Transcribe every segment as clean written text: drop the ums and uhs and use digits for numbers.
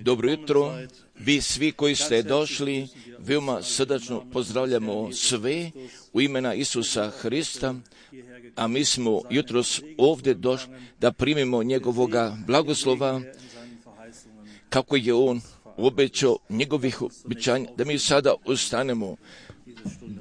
Dobro jutro, vi svi koji ste došli, veoma srdačno pozdravljamo sve u imena Isusa Hrista, a mi smo jutros ovdje došli da primimo njegovoga blagoslova, kako je on obećao njegovih obećanja, da mi sada ustanemo,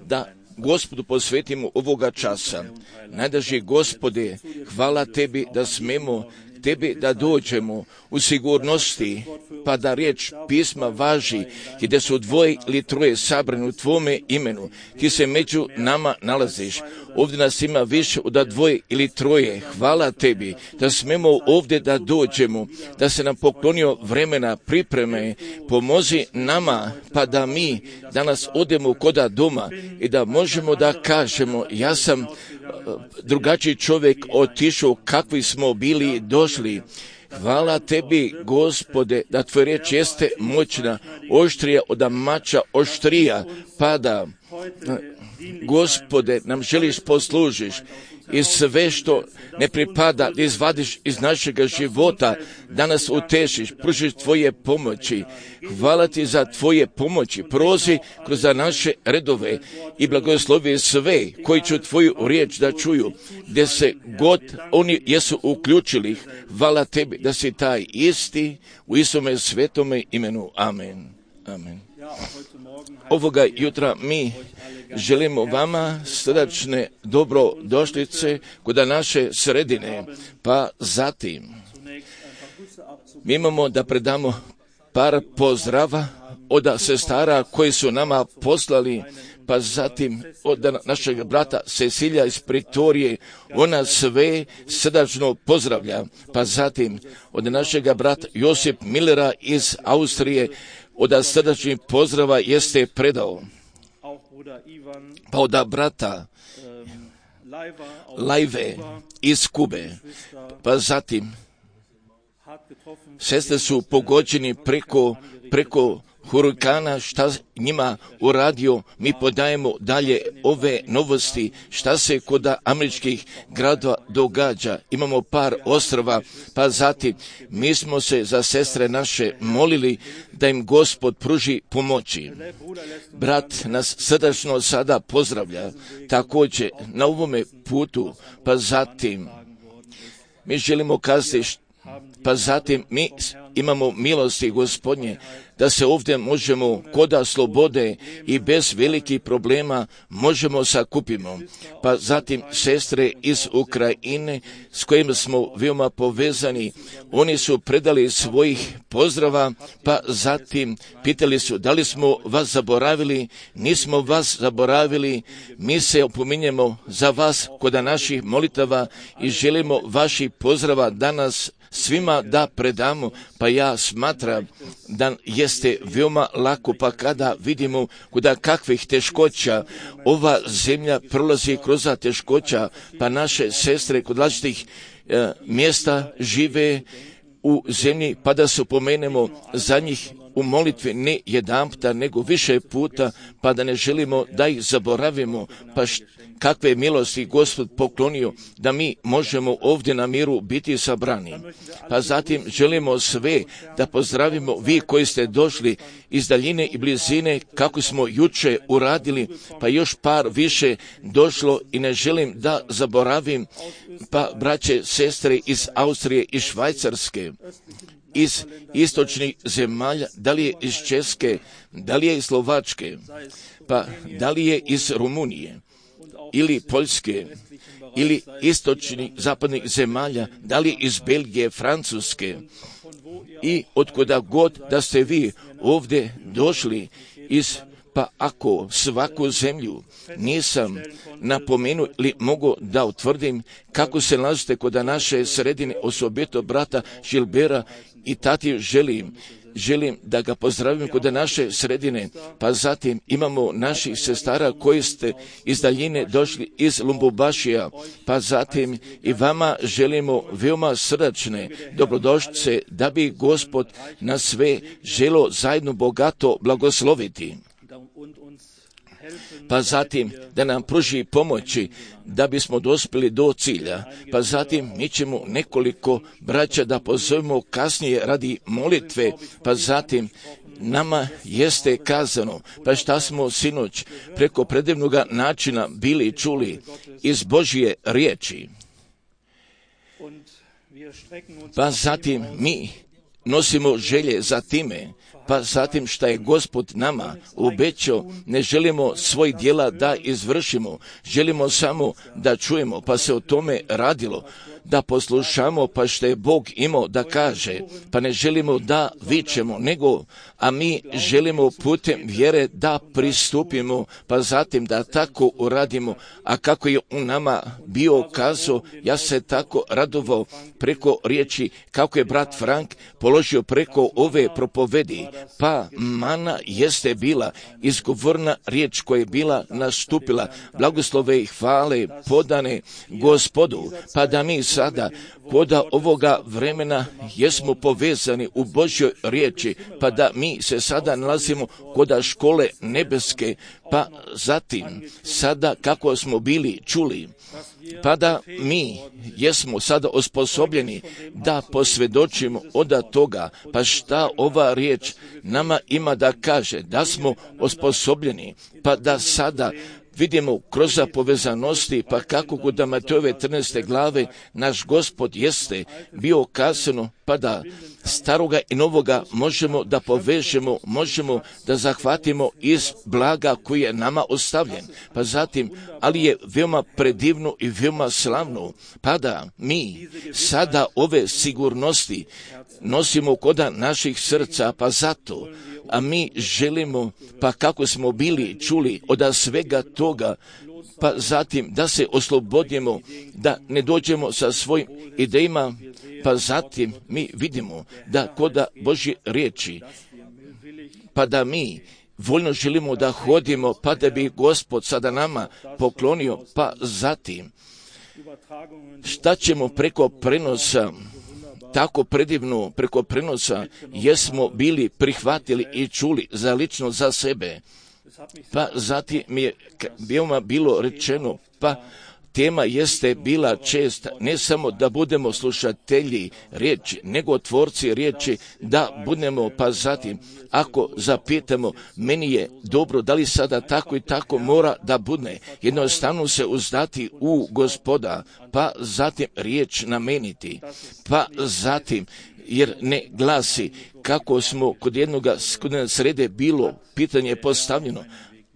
da Gospodu posvetimo ovoga časa. Najdraži Gospode, hvala Tebi da smemo Tebi da dođemo u sigurnosti, pa da riječ pisma važi, i da su dvoje ili troje sabrani u Tvome imenu. Ti se među nama nalaziš. Ovdje nas ima više od dvoje ili troje. Hvala Tebi da smemo ovdje da dođemo, da se nam poklonio vremena pripreme. Pomozi nama, pa da mi danas odemo koda doma i da možemo da kažemo, ja sam drugačiji čovjek otišao kakvi smo bili došli. Hvala Tebi, Gospode, da Tvoja riječ jeste moćna, oštrija od mača oštrija, pa da, Gospode, nam želiš poslužiš i sve što ne pripada da izvadiš iz našega života, da nas utešiš, pružiš Tvoje pomoći. Hvala Ti za Tvoje pomoći. Prozi kroz naše redove i blagoslovi sve koji će Tvoju riječ da čuju, gdje se god oni jesu uključili. Hvala Tebi da si taj isti u Isome svetome imenu. Amen. Amen. Ovoga jutra mi želimo vama srdačne dobrodošlice kod naše sredine, pa zatim mi imamo da predamo par pozdrava od sestara koji su nama poslali, pa zatim od našeg brata Cecilija iz Pretorije, ona sve srdačno pozdravlja, pa zatim od našega brata Josip Millera iz Austrije, od srdačnih pozdrava jeste predao. Pa od brata Lajve iz Kube, pa zatim sestre su pogođeni preko hurikana, šta njima uradio, mi podajemo dalje ove novosti, šta se kod američkih gradova događa. Imamo par ostrva, pa zatim mi smo se za sestre naše molili da im Gospod pruži pomoći. Brat nas srdačno sada pozdravlja, također na ovome putu, pa zatim mi želimo kazati, pa zatim mi imamo milosti Gospodnje, da se ovdje možemo koda slobode i bez velikih problema možemo sakupimo. Pa zatim sestre iz Ukrajine s kojima smo veoma povezani, oni su predali svojih pozdrava, pa zatim pitali su da li smo vas zaboravili. Nismo vas zaboravili, mi se opominjemo za vas kod naših molitava i želimo vaših pozdrava danas svima da predamo, pa ja smatram da jeste veoma lako, pa kada vidimo kuda kakvih teškoća ova zemlja prolazi kroz teškoća, pa naše sestre kod različitih mjesta žive u zemlji, pa da se upomenemo za njih u molitvi ne jedanputa, nego više puta, pa da ne želimo da ih zaboravimo, pa kakve milosti Gospod poklonio da mi možemo ovdje na miru biti sabrani. Pa zatim želimo sve da pozdravimo vi koji ste došli iz daljine i blizine, kako smo juče uradili, pa još par više došlo i ne želim da zaboravim, pa braće, sestre iz Austrije i Švajcarske, iz istočnih zemalja, da li je iz Česke, da li je iz Slovačke, pa da li je iz Rumunije ili Poljske, ili istočnih zapadnih zemalja, da li iz Belgije, Francuske, i otkuda god da ste vi ovdje došli pa ako svaku zemlju nisam napomenuo ili mogu da utvrdim kako se nalazite kod naše sredine, osobito brata Žilbera i tati želim da ga pozdravim kod naše sredine, pa zatim imamo naših sestara koji ste iz daljine došli iz Lumbubašija, pa zatim i vama želimo veoma srdačne dobrodošlice, da bi Gospod nas sve želo zajedno bogato blagosloviti. pa zatim da nam pruži pomoći da bismo dospjeli do cilja, pa zatim mi ćemo nekoliko braća da pozovemo kasnije radi molitve, pa zatim nama jeste kazano, pa šta smo sinoć preko predivnoga načina bili čuli iz Božje riječi. Pa zatim mi nosimo želje za time, pa zatim šta je Gospod nama obećao, ne želimo svoj djela da izvršimo, želimo samo da čujemo, pa se o tome radilo, da poslušamo pa što je Bog imao da kaže, pa ne želimo da vičemo, nego, a mi želimo putem vjere da pristupimo, pa zatim da tako uradimo, a kako je u nama bio kazao, ja se tako radovao preko riječi, kako je brat Frank položio preko ove propovedi, pa mana jeste bila izgovorna riječ koja je bila nastupila, blagoslove i hvale podane Gospodu, pa da mi sada koda ovoga vremena jesmo povezani u Božjoj riječi, pa da mi se sada nalazimo koda škole nebeske, pa zatim sada kako smo bili čuli, pa da mi jesmo sada osposobljeni da posvjedočimo od toga, pa šta ova riječ nama ima da kaže, da smo osposobljeni, pa da sada vidimo kroz povezanosti, pa kako kod Matejove 13. glave naš Gospod jeste bio kazano, pa da staroga i novoga možemo da povežemo, možemo da zahvatimo iz blaga koji je nama ostavljen. Pa zatim, ali je veoma predivno i veoma slavno, pa da mi sada ove sigurnosti nosimo koda naših srca, pa zato, a mi želimo, pa kako smo bili čuli od svega toga, pa zatim da se oslobodimo, da ne dođemo sa svojim idejama, pa zatim mi vidimo da koda Božje riječi, pa da mi voljno želimo da hodimo, pa da bi Gospod sada nama poklonio, pa zatim šta ćemo preko prenosa, tako predivno preko prenosa jesmo bili prihvatili i čuli za lično za sebe. Pa zatim mi je veoma bilo rečeno, pa tema jeste bila česta, ne samo da budemo slušatelji riječi, nego tvorci riječi, da budemo, pa zatim, ako zapitamo, meni je dobro, da li sada tako i tako mora da bude, jednostavno se uzdati u Gospoda, pa zatim riječ nameniti, pa zatim, jer ne glasi kako smo kod jednoga srede bilo pitanje postavljeno,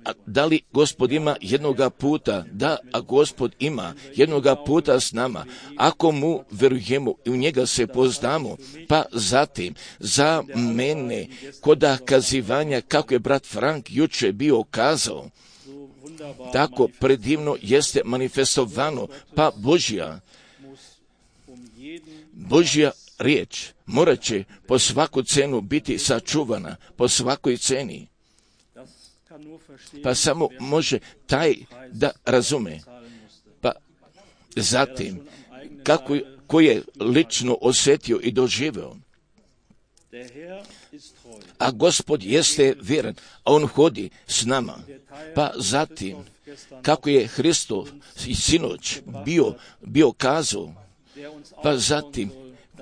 a da li Gospod ima jednoga puta? Da, a Gospod ima jednoga puta s nama. Ako mu verujemo i u njega se poznamo, pa zatim za mene koda kazivanja kako je brat Frank juče bio kazao, tako predivno jeste manifestovano, pa Božja riječ morat će po svaku cenu biti sačuvana, po svakoj ceni. Pa samo može taj da razume. Pa zatim, ko je lično osjetio i doživio. A Gospod jeste vjeran, a On hodi s nama. Pa zatim, kako je Hristov i sinoć bio kazao, pa zatim,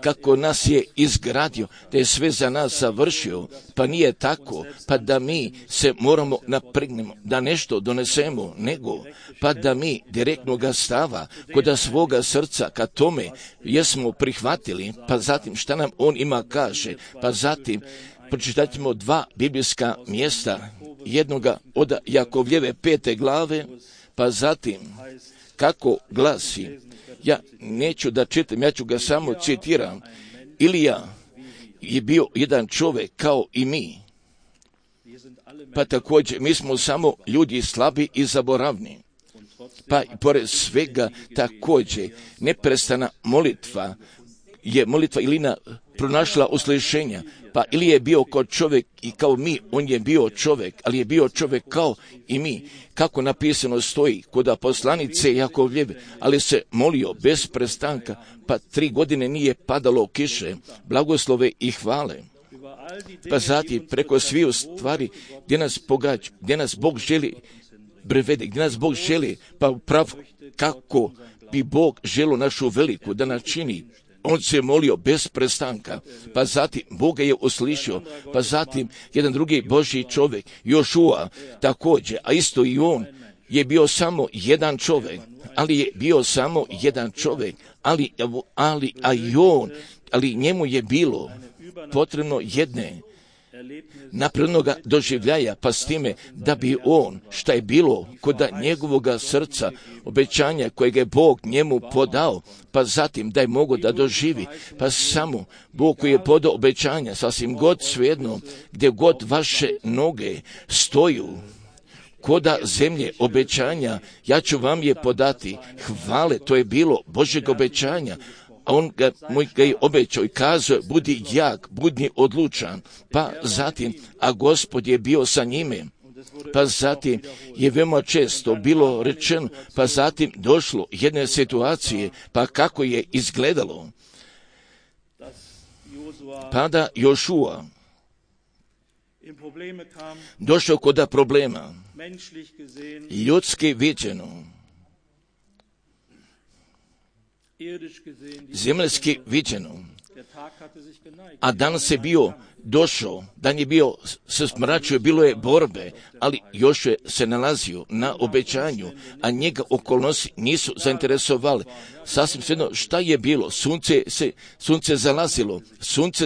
kako nas je izgradio, da je sve za nas završio, pa nije tako, pa da mi se moramo napregnemo, da nešto donesemo, nego, pa da mi direktnoga stava kod svoga srca ka tome jesmo prihvatili, pa zatim šta nam On ima kaže, pa zatim pročitat ćemo 2 biblijska mjesta, jednoga od Jakovljeve 5. glave, pa zatim kako glasi, ja neću da čitam, ja ću ga samo citiram. Ilija je bio jedan čovjek kao i mi. Pa također, mi smo samo ljudi slabi i zaboravni. Pa i pored svega također, neprestana molitva je molitva Ilina pronašla uslišenja. Pa ili je bio kao čovjek i kao mi, on je bio čovjek, ali je bio čovjek kao i mi. Kako napisano stoji kod poslanice Jakovljeve, ali se molio bez prestanka, pa 3 godine nije padalo kiše, blagoslove i hvale. Pa zatim preko svih stvari gdje nas Bog želi privede, gdje nas Bog želi, pa upravo kako bi Bog želio našu veliku da nas čini. On se molio bez prestanka, pa zatim Boga je uslišio, pa zatim jedan drugi Božji čovjek, Jošua, također, a isto i on je bio samo jedan čovjek, ali njemu je bilo potrebno jedne naprednoga doživljaja, pa s time da bi on, šta je bilo kod njegovoga srca, obećanja kojeg je Bog njemu podao, pa zatim da je mogo da doživi, pa samo Bog koji je podao obećanja, sasvim god svejedno, gdje god vaše noge stoju, koda zemlje obećanja, ja ću vam je podati. Hvale, to je bilo Božjeg obećanja. A on ga je obećao i kazao, budi jak, budi odlučan. Pa zatim, a Gospod je bio sa njime. Pa zatim je veoma često bilo rečeno, pa zatim došlo jedne situacije, pa kako je izgledalo. Pada Jošua došao kod problema, ljudski viđeno, zemljski viđeno, a danas je bio došao, dan je bio se smračio, bilo je borbe, ali još je se nalazio na obećanju, a njega okolnosti nisu zainteresovali. Sasvim svejedno šta je bilo, sunce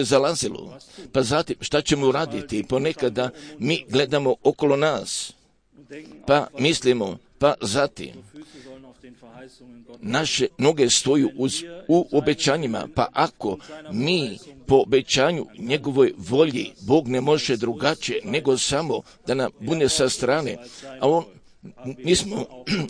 zalazilo, pa zatim šta ćemo uraditi? Ponekada mi gledamo okolo nas, pa mislimo, pa zatim naše noge stoju u obećanjima, pa ako mi po obećanju njegovoj volji, Bog ne može drugačije nego samo da nam bude sa strane, a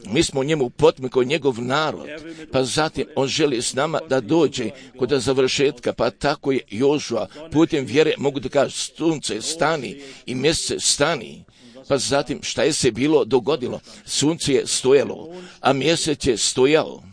mi smo njemu potmi kao njegov narod, pa zatim on želi s nama da dođe kod završetka, pa tako je Jošua putem vjere, mogu da kažem, sunce stani i mjesece stani. Pa zatim šta je se bilo dogodilo? Sunce je stojalo, a mjesec je stojao.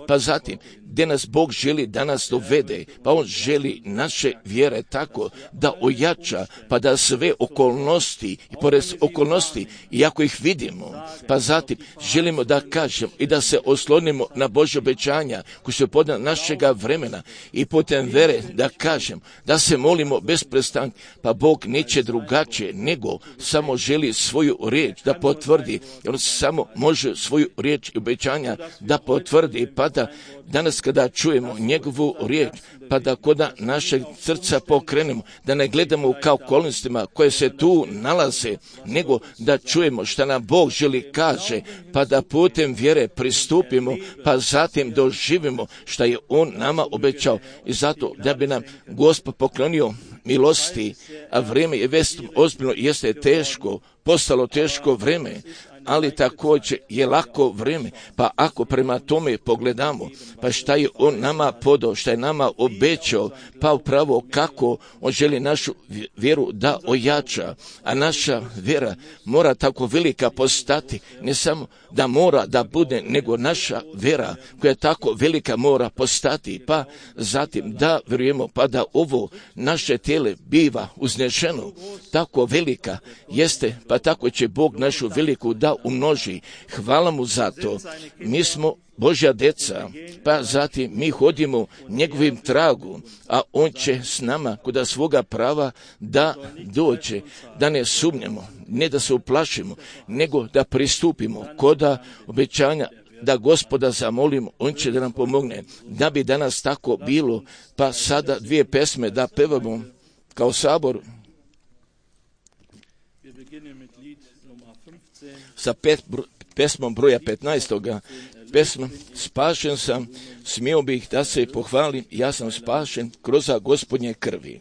Pa zatim, gdje nas Bog želi da nas dovede, pa on želi naše vjere tako da ojača, pa da sve okolnosti i pored okolnosti, iako ih vidimo, pa zatim želimo da kažemo i da se oslonimo na Božje obećanja koji su podana našega vremena i putem vjere da kažem, da se molimo bez prestanka, pa Bog neće drugačije nego samo želi svoju riječ da potvrdi, jer on samo može svoju riječ i obećanja da potvrdi, pa da danas kada čujemo njegovu riječ, pa da kod našeg srca pokrenemo, da ne gledamo kao okolnostima koje se tu nalaze, nego da čujemo šta nam Bog želi kaže, pa da putem vjere pristupimo, pa zatim doživimo šta je on nama obećao. I zato da bi nam Gospod poklonio milosti, a vrijeme je ozbiljno, jeste teško, postalo teško vrijeme, ali također je lako vrijeme, pa ako prema tome pogledamo, pa šta je on nama podao, šta je nama obećao, pa upravo kako on želi našu vjeru da ojača, a naša vjera mora tako velika postati, ne samo da mora da bude, nego naša vjera koja tako velika mora postati, pa zatim da vjerujemo, pa da ovo naše tijelo biva uznešeno, tako velika jeste, pa tako će Bog našu veliku da umnoži. Hvala mu za to. Mi smo Božja deca, pa zatim mi hodimo njegovim tragu, a on će s nama kod svoga prava da dođe, da ne sumnjamo, ne da se uplašimo, nego da pristupimo kod obećanja, da Gospoda zamolimo, on će da nam pomogne, da bi danas tako bilo. Pa sada dvije pesme da pevamo kao sabor. Sa pesmom broja 15. Pesma Spašen sam, smio bih da se pohvalim, ja sam spašen kroz Gospodnje krvi.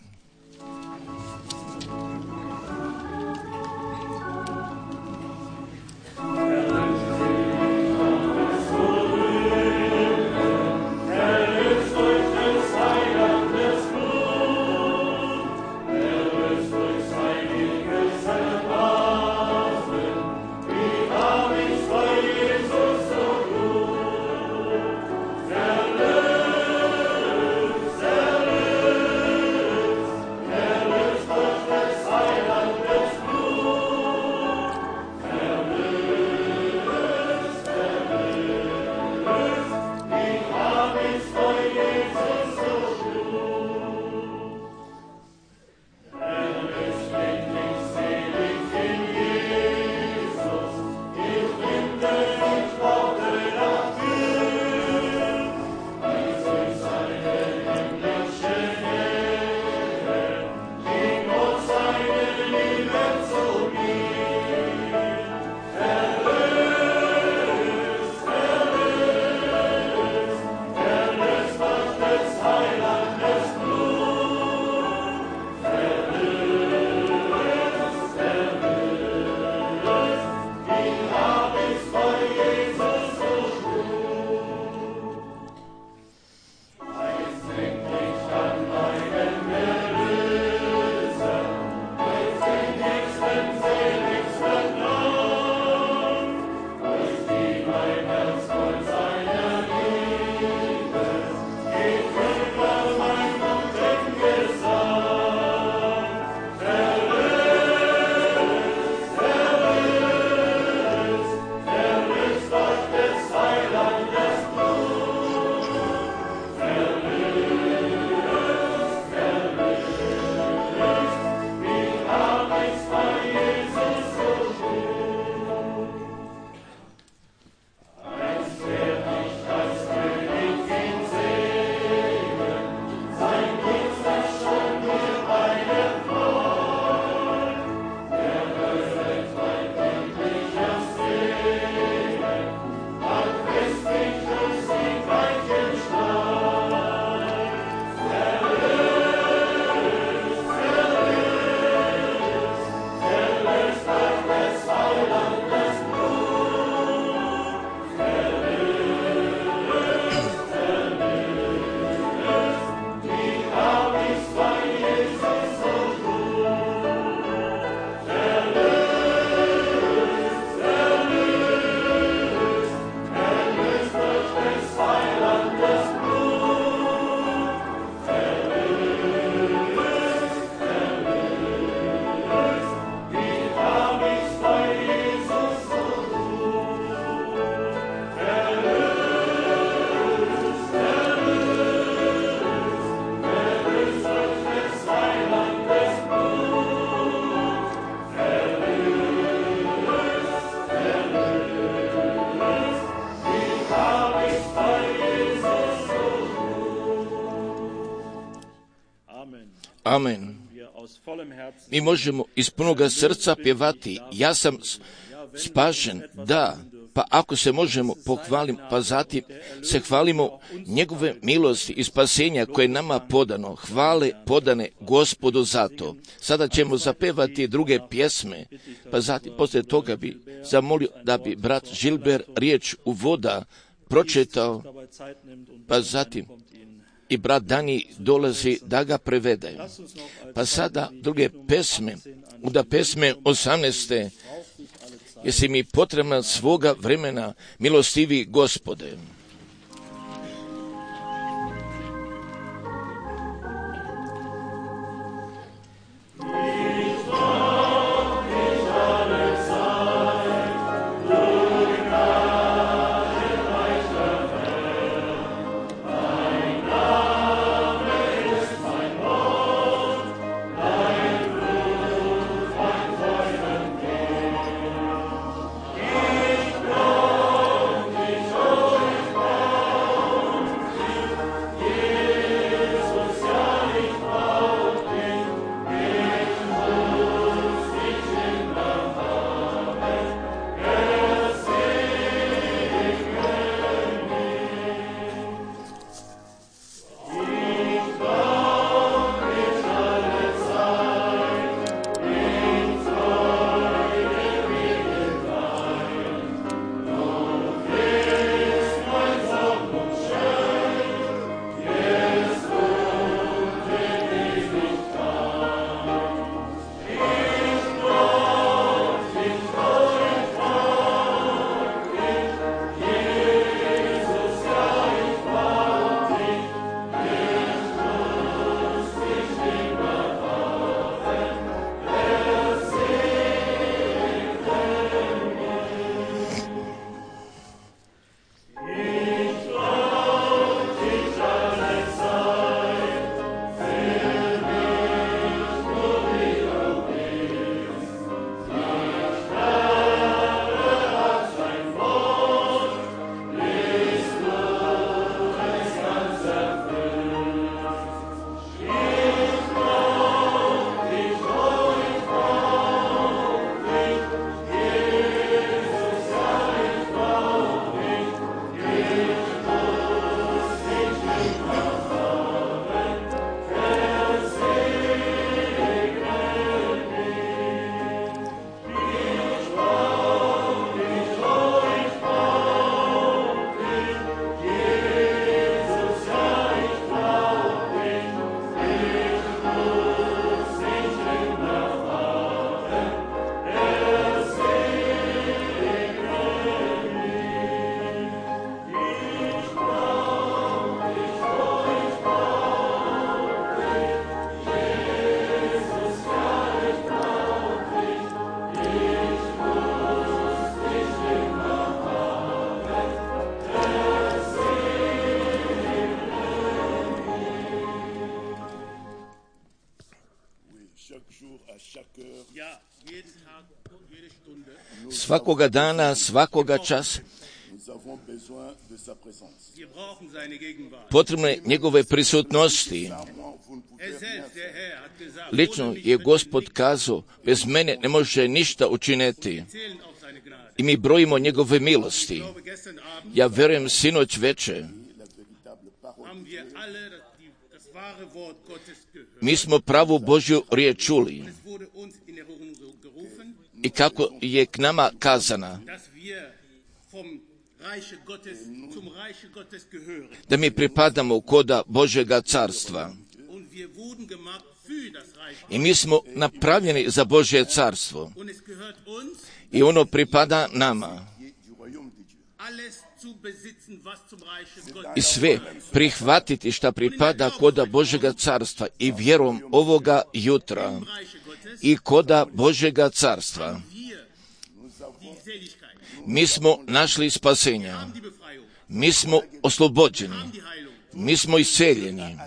Amen. Mi možemo iz punoga srca pjevati, ja sam spašen, da, pa ako se možemo pohvaliti, pa zatim se hvalimo njegove milosti i spasenja koje je nama podano, hvale podane Gospodu za to. Sada ćemo zapevati druge pjesme, pa zatim poslije toga bi zamolio da bi brat Žilber riječ uvoda pročitao, pa zatim i brat Dani dolazi da ga prevede. Pa sada druge pesme, onda pesme 18. Jesi mi potrebna svoga vremena, milostivi Gospode. Svakoga dana, svakoga časa potrebno je njegove prisutnosti. Lično je Gospod kazao, bez mene ne može ništa učiniti. I mi brojimo njegove milosti. Ja vjerujem sinoć večer. Mi smo pravu Božju riječ čuli. I kako je k nama kazana, da mi pripadamo koda Božjega carstva. I mi smo napravljeni za Božje carstvo. I ono pripada nama. I sve prihvatiti šta pripada koda Božjega carstva i vjerom ovoga jutra i koda Božjega carstva. Mi smo našli spasenja. Mi smo oslobođeni. Mi smo isceljeni.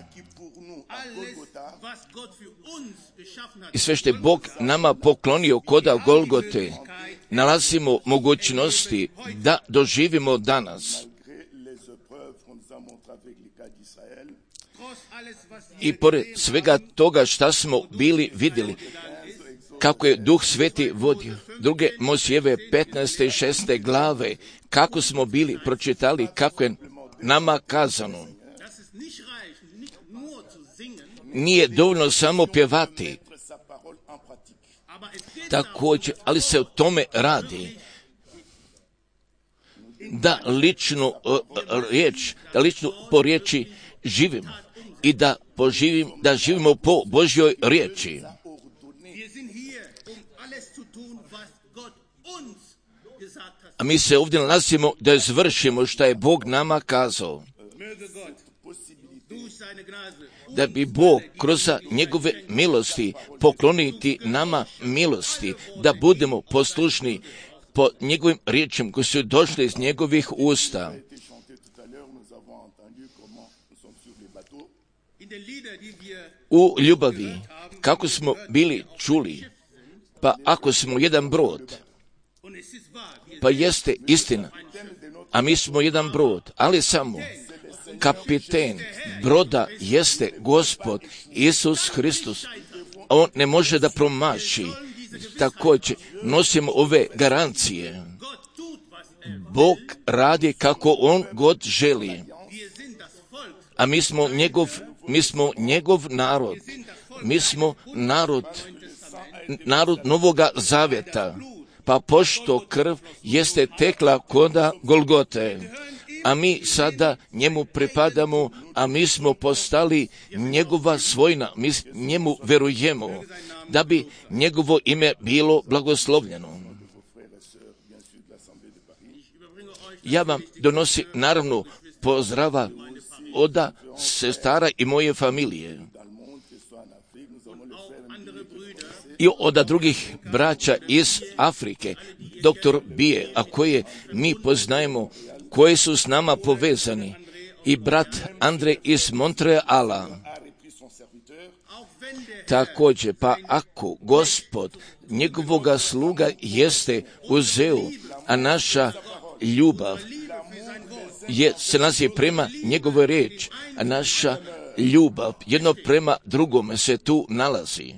I sve što je Bog nama poklonio koda Golgote, nalazimo mogućnosti da doživimo danas. I pored svega toga šta smo bili vidjeli, kako je Duh Sveti vodio, druge Mojsijeve 15. i 16. glave, kako smo bili pročitali, kako je nama kazano. Nije dovoljno samo pjevati, također, ali se o tome radi. Da ličnu riječ, da ličnu po riječi živimo i da živimo po Božjoj riječi. A mi se ovdje nalazimo da izvršimo što je Bog nama kazao. Da bi Bog kroz njegove milosti pokloniti nama milosti, da budemo poslušni po njegovim riječima koji su došli iz njegovih usta. U ljubavi, kako smo bili čuli, pa ako smo jedan brod, pa jeste istina, a mi smo jedan brod, ali samo kapiten broda jeste Gospod Isus Hristos. On ne može da promaši. Također nosimo ove garancije. Bog radi kako on god želi. A mi smo njegov narod. Mi smo narod Novoga Zavjeta. Pa pošto krv jeste tekla koda Golgote, a mi sada njemu pripadamo, a mi smo postali njegova svojina, mi njemu verujemo, da bi njegovo ime bilo blagoslovljeno. Ja vam donosim naravno pozdrava od sestara i moje familije i od drugih braća iz Afrike, doktor Bije, a koje mi poznajemo, koji su s nama povezani, i brat Andre iz Montreala. Također, pa ako Gospod njegovoga sluga jeste uzeo, a naša ljubav se nalazi prema njegovoj riječi, a naša ljubav jedno prema drugome se tu nalazi.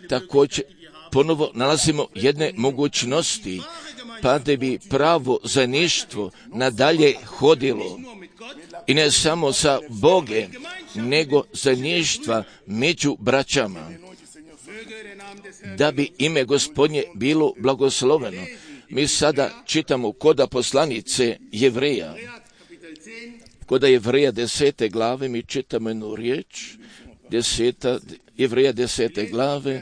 Također, ponovo nalazimo jedne mogućnosti, pa da bi pravo zajedništvo nadalje hodilo. I ne samo sa Bogom, nego zajedništva među braćama. Da bi ime Gospodnje bilo blagosloveno. Mi sada čitamo koda poslanice Jevreja. Koda Jevreja 10. glave mi čitamo jednu riječ. Jevreja 10. glave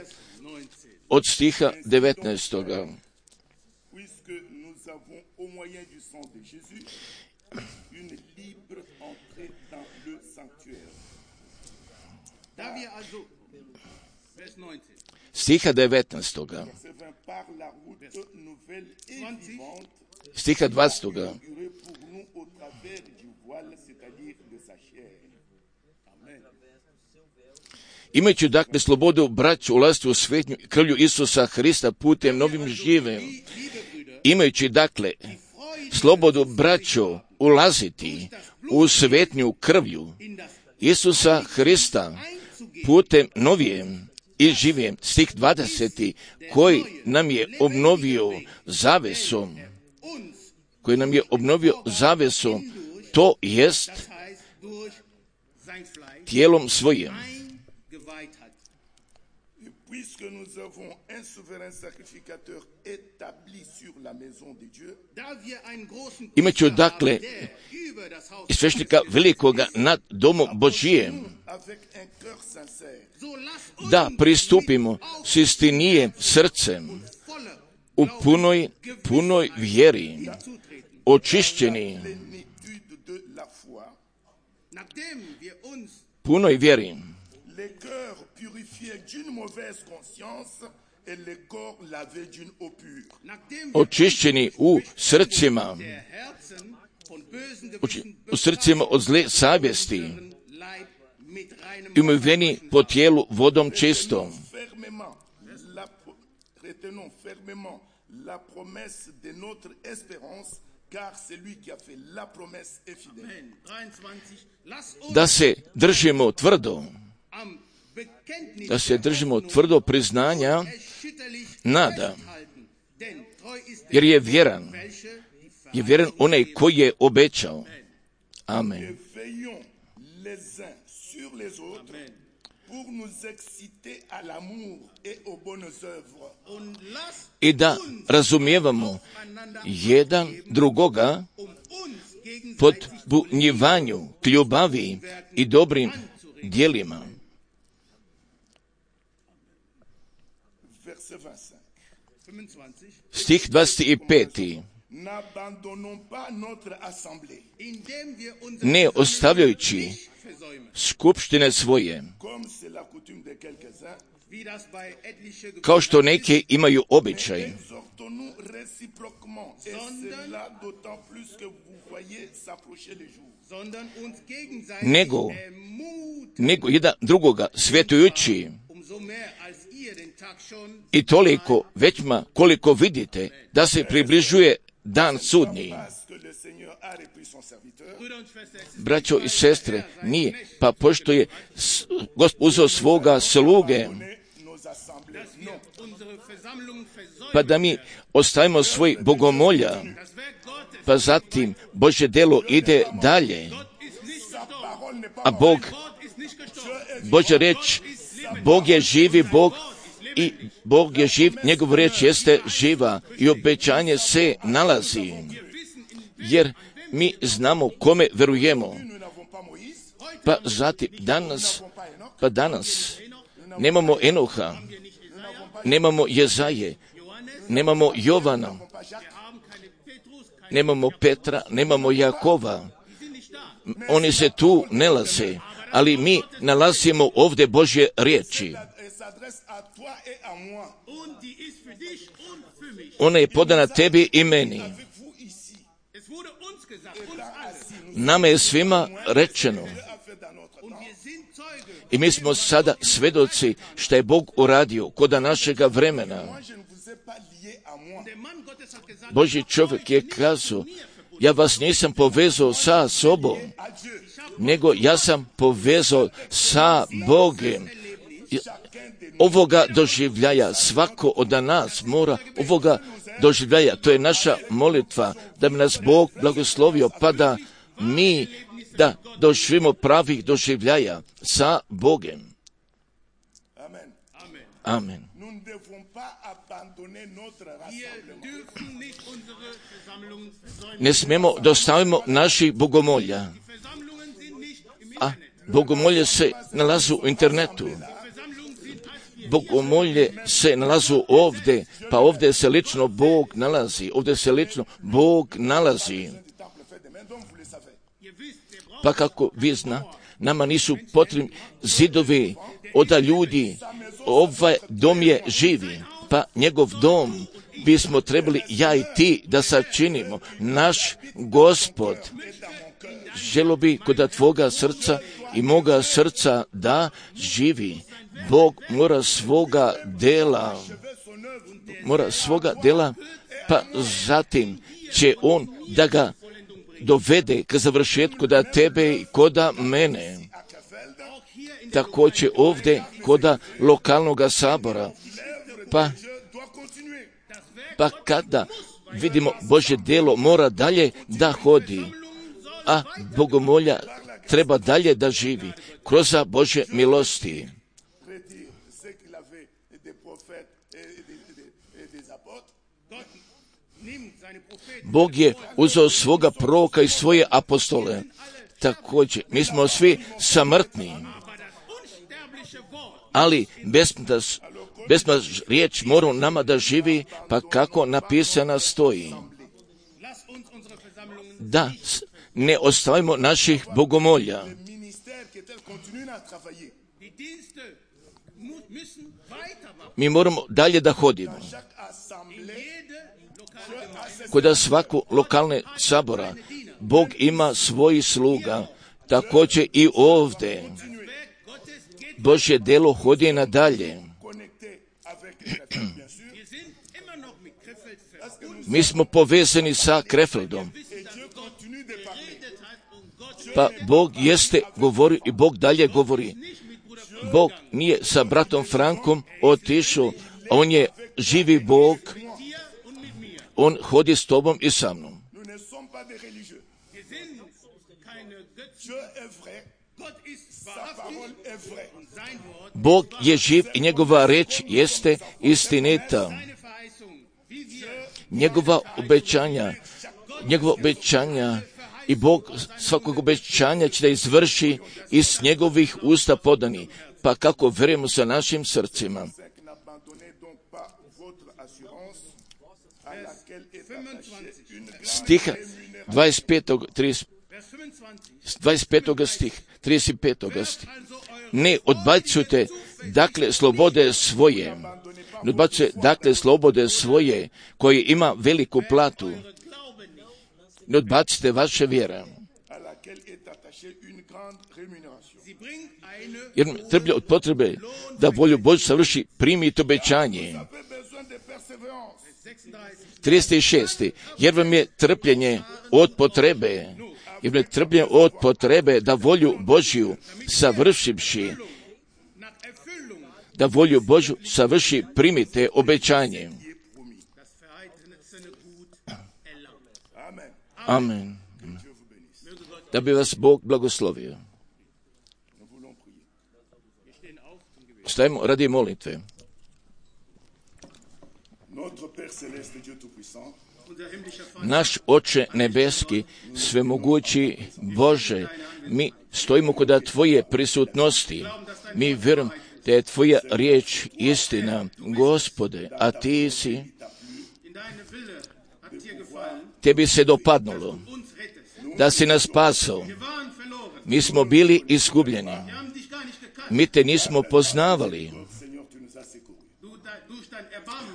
od stiha 19. Stiha 19. Stiha 20. Imajući dakle slobodu braću ulaziti u svetnju krvlju Isusa Hrista putem novim živim. Imajući dakle slobodu braću ulaziti u svetnju krvlju Isusa Hrista putem novijem i živijem. Stih 20. koji nam je obnovio zavesom, to jest tijelom svojim. Puisque nous avons un souverain sacrificateur établi sur la maison de Dieu, imajući dakle i svešnika velikoga nad domom Božijem, da pristupimo s istinijem srcem u punoj vjeri, očišćeni, punoj vjeri, očišćeni u srcima od zle savjesti i umiveni po tijelu vodom čistom. da se držimo tvrdo, priznanja nada, jer je vjeran onaj koji je obećao. Amen. I da razumijevamo jedan drugoga podbunjivanju k ljubavi i dobrim djelima. Stih 25. Ne ostavljajući skupštine svoje, kao što neki imaju običaj, nego jedan drugoga svjetujući, i toliko većma koliko vidite da se približuje dan sudnji. Braćo i sestre, nije, pa pošto je Gospod uzeo svoga sluge, pa da mi ostavimo svoj bogomolja, pa zatim Božje delo ide dalje, a Božja reč, Bog je živi Bog i Bog je živ, njegov reč jeste živa i obećanje se nalazi, jer mi znamo kome verujemo. Pa zatim danas nemamo Enoha, nemamo Jezaje, nemamo Jovana, nemamo Petra, nemamo Jakova. Oni se tu nalaze, ali mi nalazimo ovdje Božje riječi. Ona je podana tebi i meni. Nama je svima rečeno i mi smo sada svedoci što je Bog uradio kod našega vremena. Božji čovjek je kazao, ja vas nisam povezao sa sobom, nego ja sam povezao sa Bogom. Ovoga doživljaja svako od nas mora ovoga doživljaja. To je naša molitva da bi nas Bog blagoslovio, pa da mi da doživimo pravih doživljaja sa Bogom. Amen. Ne smijemo da ostavimo naših bogomolja, a bogomolje se nalazu u internetu. Bogomolje se nalazu ovdje, pa ovdje se lično Bog nalazi. Pa kako vi zna, nama nisu potrebni zidovi od ljudi, ovaj dom je živi, pa njegov dom bismo trebali ja i ti da sačinimo. Naš Gospod želo bi kod tvoga srca i moga srca da živi. Bog mora svoga dela, pa zatim će on da ga dovede k završetku da tebe i koda mene. Također ovdje koda lokalnog sabora. Pa kada vidimo Božje delo mora dalje da hodi, a bogomolja treba dalje da živi kroz Božje milosti. Bog je uzeo svoga proroka i svoje apostole. Također, mi smo svi samrtni, ali besmrtna riječ mora nama da živi, pa kako napisana stoji. Da ne ostavimo naših bogomolja. Mi moramo dalje da hodimo. Kod svako lokalne sabora Bog ima svoji sluga, također i ovdje. Božje delo hodi nadalje. Mi smo povezani sa Krefeldom. Pa Bog jeste govori i Bog dalje govori. Bog nije sa bratom Frankom otišao, on je živi Bog, on hodi s tobom i sa mnom. Bog je živ i njegova reč jeste istinita. Njegova obećanja i Bog svakog obećanja će da izvrši iz njegovih usta podani. Pa kako verujemo sa našim srcima. Stiha 25. stih, 35. stih. Ne odbacujte, dakle, slobode svoje. Ne odbacujte, dakle, slobode svoje, koje ima veliku platu. Ne odbacite vaše vjere. Jer trplje od potrebe da volju Božju savrši, primite obećanje. 36. Jer vam je trpljenje od potrebe, da volju Božju savršivši, da volju Božju savrši, primite obećanje. Amen. Da bi vas Bog blagoslovio. Stajemo radi molitve. Naš Oče nebeski, svemogući Bože, mi stojimo kod Tvoje prisutnosti. Mi vjerujemo da je Tvoja riječ istina, Gospode, a Ti si, Tebi se dopadnulo da si nas spasao. Mi smo bili izgubljeni. Mi Te nismo poznavali.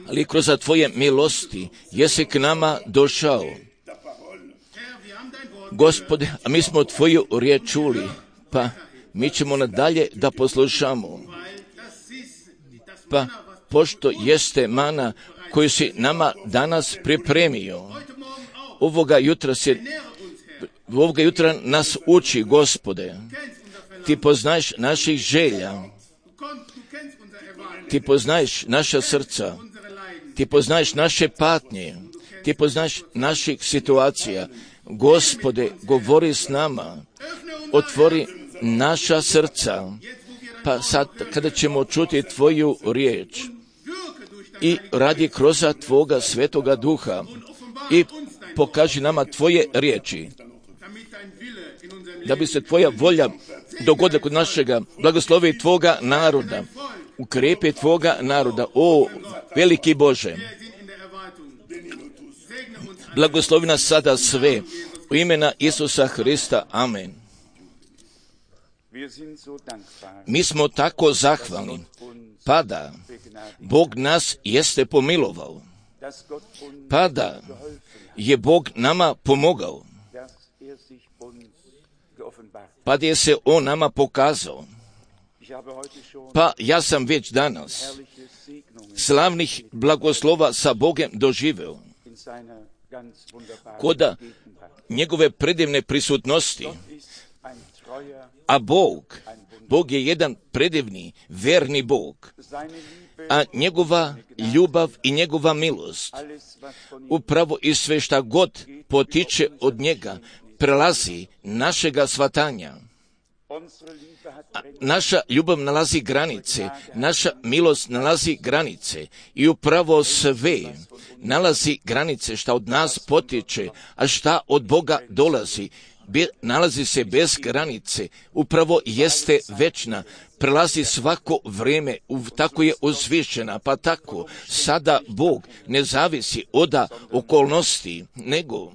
Ali kroz Tvoje milosti jesi k nama došao. Gospode, a mi smo Tvoju riječ čuli, pa mi ćemo nadalje da poslušamo. Pa pošto jeste mana koju si nama danas pripremio, ovoga jutra nas uči, Gospode. Ti poznaješ naših želja, Ti poznaješ naša srca, Ti poznaješ naše patnje, Ti poznaješ naših situacija. Gospode, govori s nama, otvori naša srca, pa sad kada ćemo čuti Tvoju riječ i radi kroz Tvoga Svetoga Duha i pokaži nama Tvoje riječi, da bi se Tvoja volja dogodila kod našega, blagoslovi Tvoga naroda, ukrepe Tvoga naroda, o veliki Bože. Blagoslovi nas sada sve, u imena Isusa Hrista, amen. Mi smo tako zahvalni, pa da Bog nas jeste pomilovao, pa da je Bog nama pomogao, pa da je se On nama pokazao. Pa ja sam već danas slavnih blagoslova sa Bogem doživeo, koda njegove predivne prisutnosti, a Bog je jedan predivni, verni Bog, a njegova ljubav i njegova milost, upravo i sve šta god potiče od njega, prelazi našega shvatanja. Naša ljubav nalazi granice, naša milost nalazi granice i upravo sve nalazi granice šta od nas potiče, a šta od Boga dolazi. Nalazi se bez granice, upravo jeste večna, prelazi svako vrijeme, tako je uzvišena, pa tako sada Bog ne zavisi od okolnosti, nego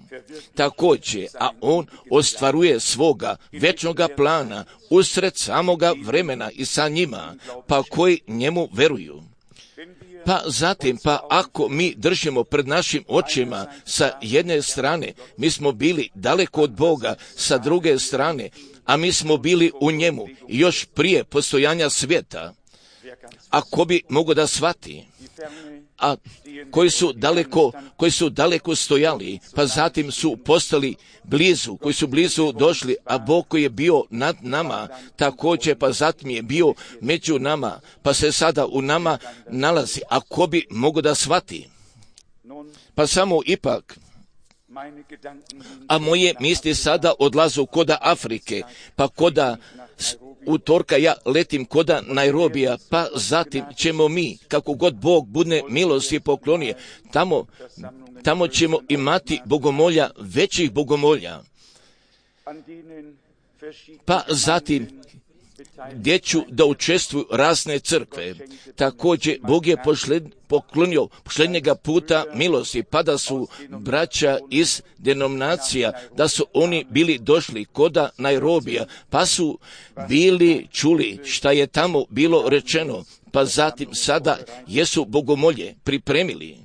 također, a On ostvaruje svoga večnoga plana usred samoga vremena i sa njima, pa koji njemu veruju. Pa zatim, ako mi držimo pred našim očima sa jedne strane, mi smo bili daleko od Boga, sa druge strane, a mi smo bili u njemu još prije postojanja svijeta. Ako bi mogo da shvati a koji su daleko stojali, pa zatim su postali blizu, koji su blizu došli, a Bog koji je bio nad nama, također pa zatim je bio među nama, pa se sada u nama nalazi, a ko bi mogao da shvati? Pa samo ipak, a moje misli sada odlazu koda Afrike, pa koda utorka ja letim koda Nairobija, pa zatim ćemo mi, kako god Bog bude milosti poklonije, tamo ćemo imati bogomolja, većih bogomolja. Pa zatim gdje ću da učestvuju razne crkve. Također Bog je poklonio posljednjega puta milosti, pa da su braća iz denominacija, da su oni bili došli koda Nairobija, pa su bili čuli šta je tamo bilo rečeno, pa zatim sada jesu bogomolje pripremili.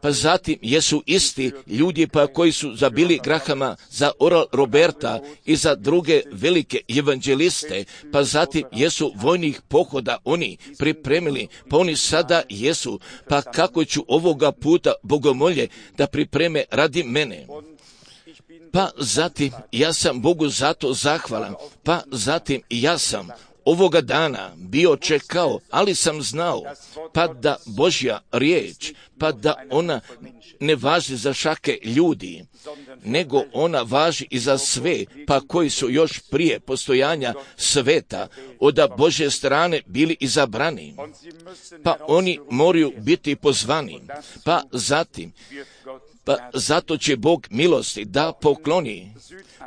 Pa zatim jesu isti ljudi pa koji su za Billy Grahama, za Oral Roberta i za druge velike evanđeliste, pa zatim jesu vojnih pohoda oni pripremili, pa oni sada jesu, pa kako ću ovoga puta bogomolje da pripreme radi mene. Pa zatim ja sam Bogu zato zahvalan, pa zatim ja sam ovoga dana bio čekao, ali sam znao, pa da Božja riječ, pa da ona ne važi za šake ljudi, nego ona važi i za sve, pa koji su još prije postojanja sveta od Božje strane bili izabrani, pa oni moraju biti pozvani, pa zatim, pa zato će Bog milosti da pokloni,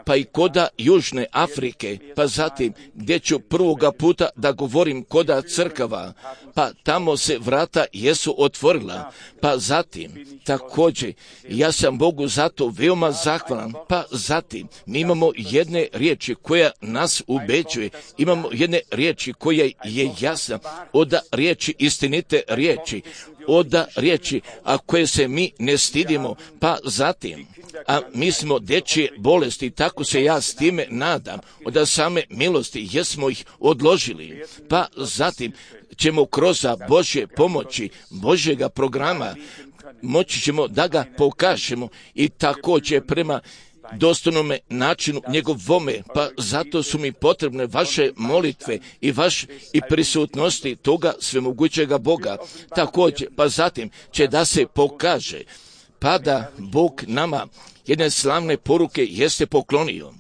pa i koda Južne Afrike, pa zatim gdje ću prvoga puta da govorim koda crkava, pa tamo se vrata jesu otvorila, pa zatim također ja sam Bogu zato veoma zahvalan, pa zatim mi imamo jedne riječi koja nas ubeđuje, imamo jedne riječi koja je jasna, od riječi istinite riječi, od riječi, a koje se mi ne stidimo, pa zatim, a mi smo dečije bolesti, tako se ja s time nadam, od same milosti jesmo ih odložili, pa zatim ćemo kroz Božje pomoći, Božjega programa, moći ćemo da ga pokažemo i također prema dostojnome načinu njegovome, pa zato su mi potrebne vaše molitve i prisutnosti toga svemogućega Boga. Također, pa zatim će da se pokaže, pa da Bog nama jedne slavne poruke jeste poklonio,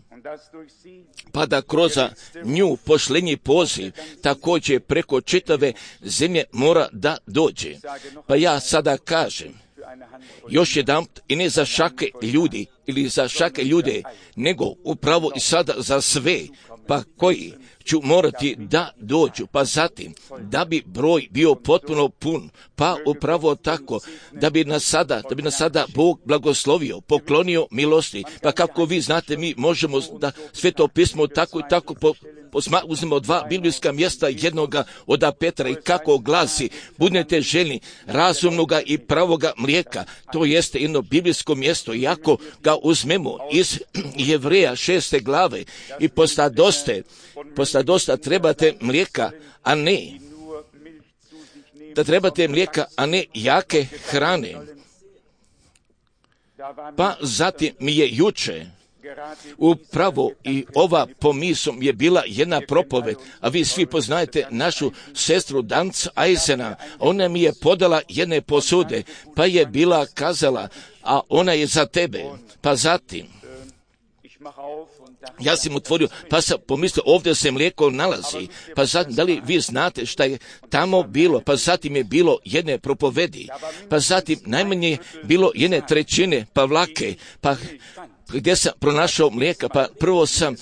pa da kroz nju pošlenji poziv također preko čitave zemlje mora da dođe. Pa ja sada kažem, još jedan, i ne za šake ljudi ili za šake ljude, nego upravo i sada za sve, pa koji ću morati da dođu, pa zatim da bi broj bio potpuno pun, pa upravo tako da bi nas sada Bog blagoslovio, poklonio milosti, pa kako vi znate mi možemo da Sveto pismo tako i tako uzmemo dva biblijska mjesta, jednoga od Petra i kako glasi, budete željni razumnoga i pravoga mlijeka, to jeste jedno biblijsko mjesto, i ako ga uzmemo iz Jevreja 6. glave i posta dosta trebate mlijeka, a ne jake hrane. Pa zatim mi je juče upravo i ova pomisom je bila jedna propoved, a vi svi poznajete našu sestru Danc Eisena, ona mi je podala jedne posude, pa je bila kazala, a ona je za tebe, pa zatim ja sam otvorio, pa sam pomislio, ovdje se mlijeko nalazi, pa zatim, da li vi znate šta je tamo bilo, pa zatim je bilo jedne propovedi, pa zatim najmanje bilo jedne trećine pavlake, pa gdje sam pronašao mlijeka, pa prvo sam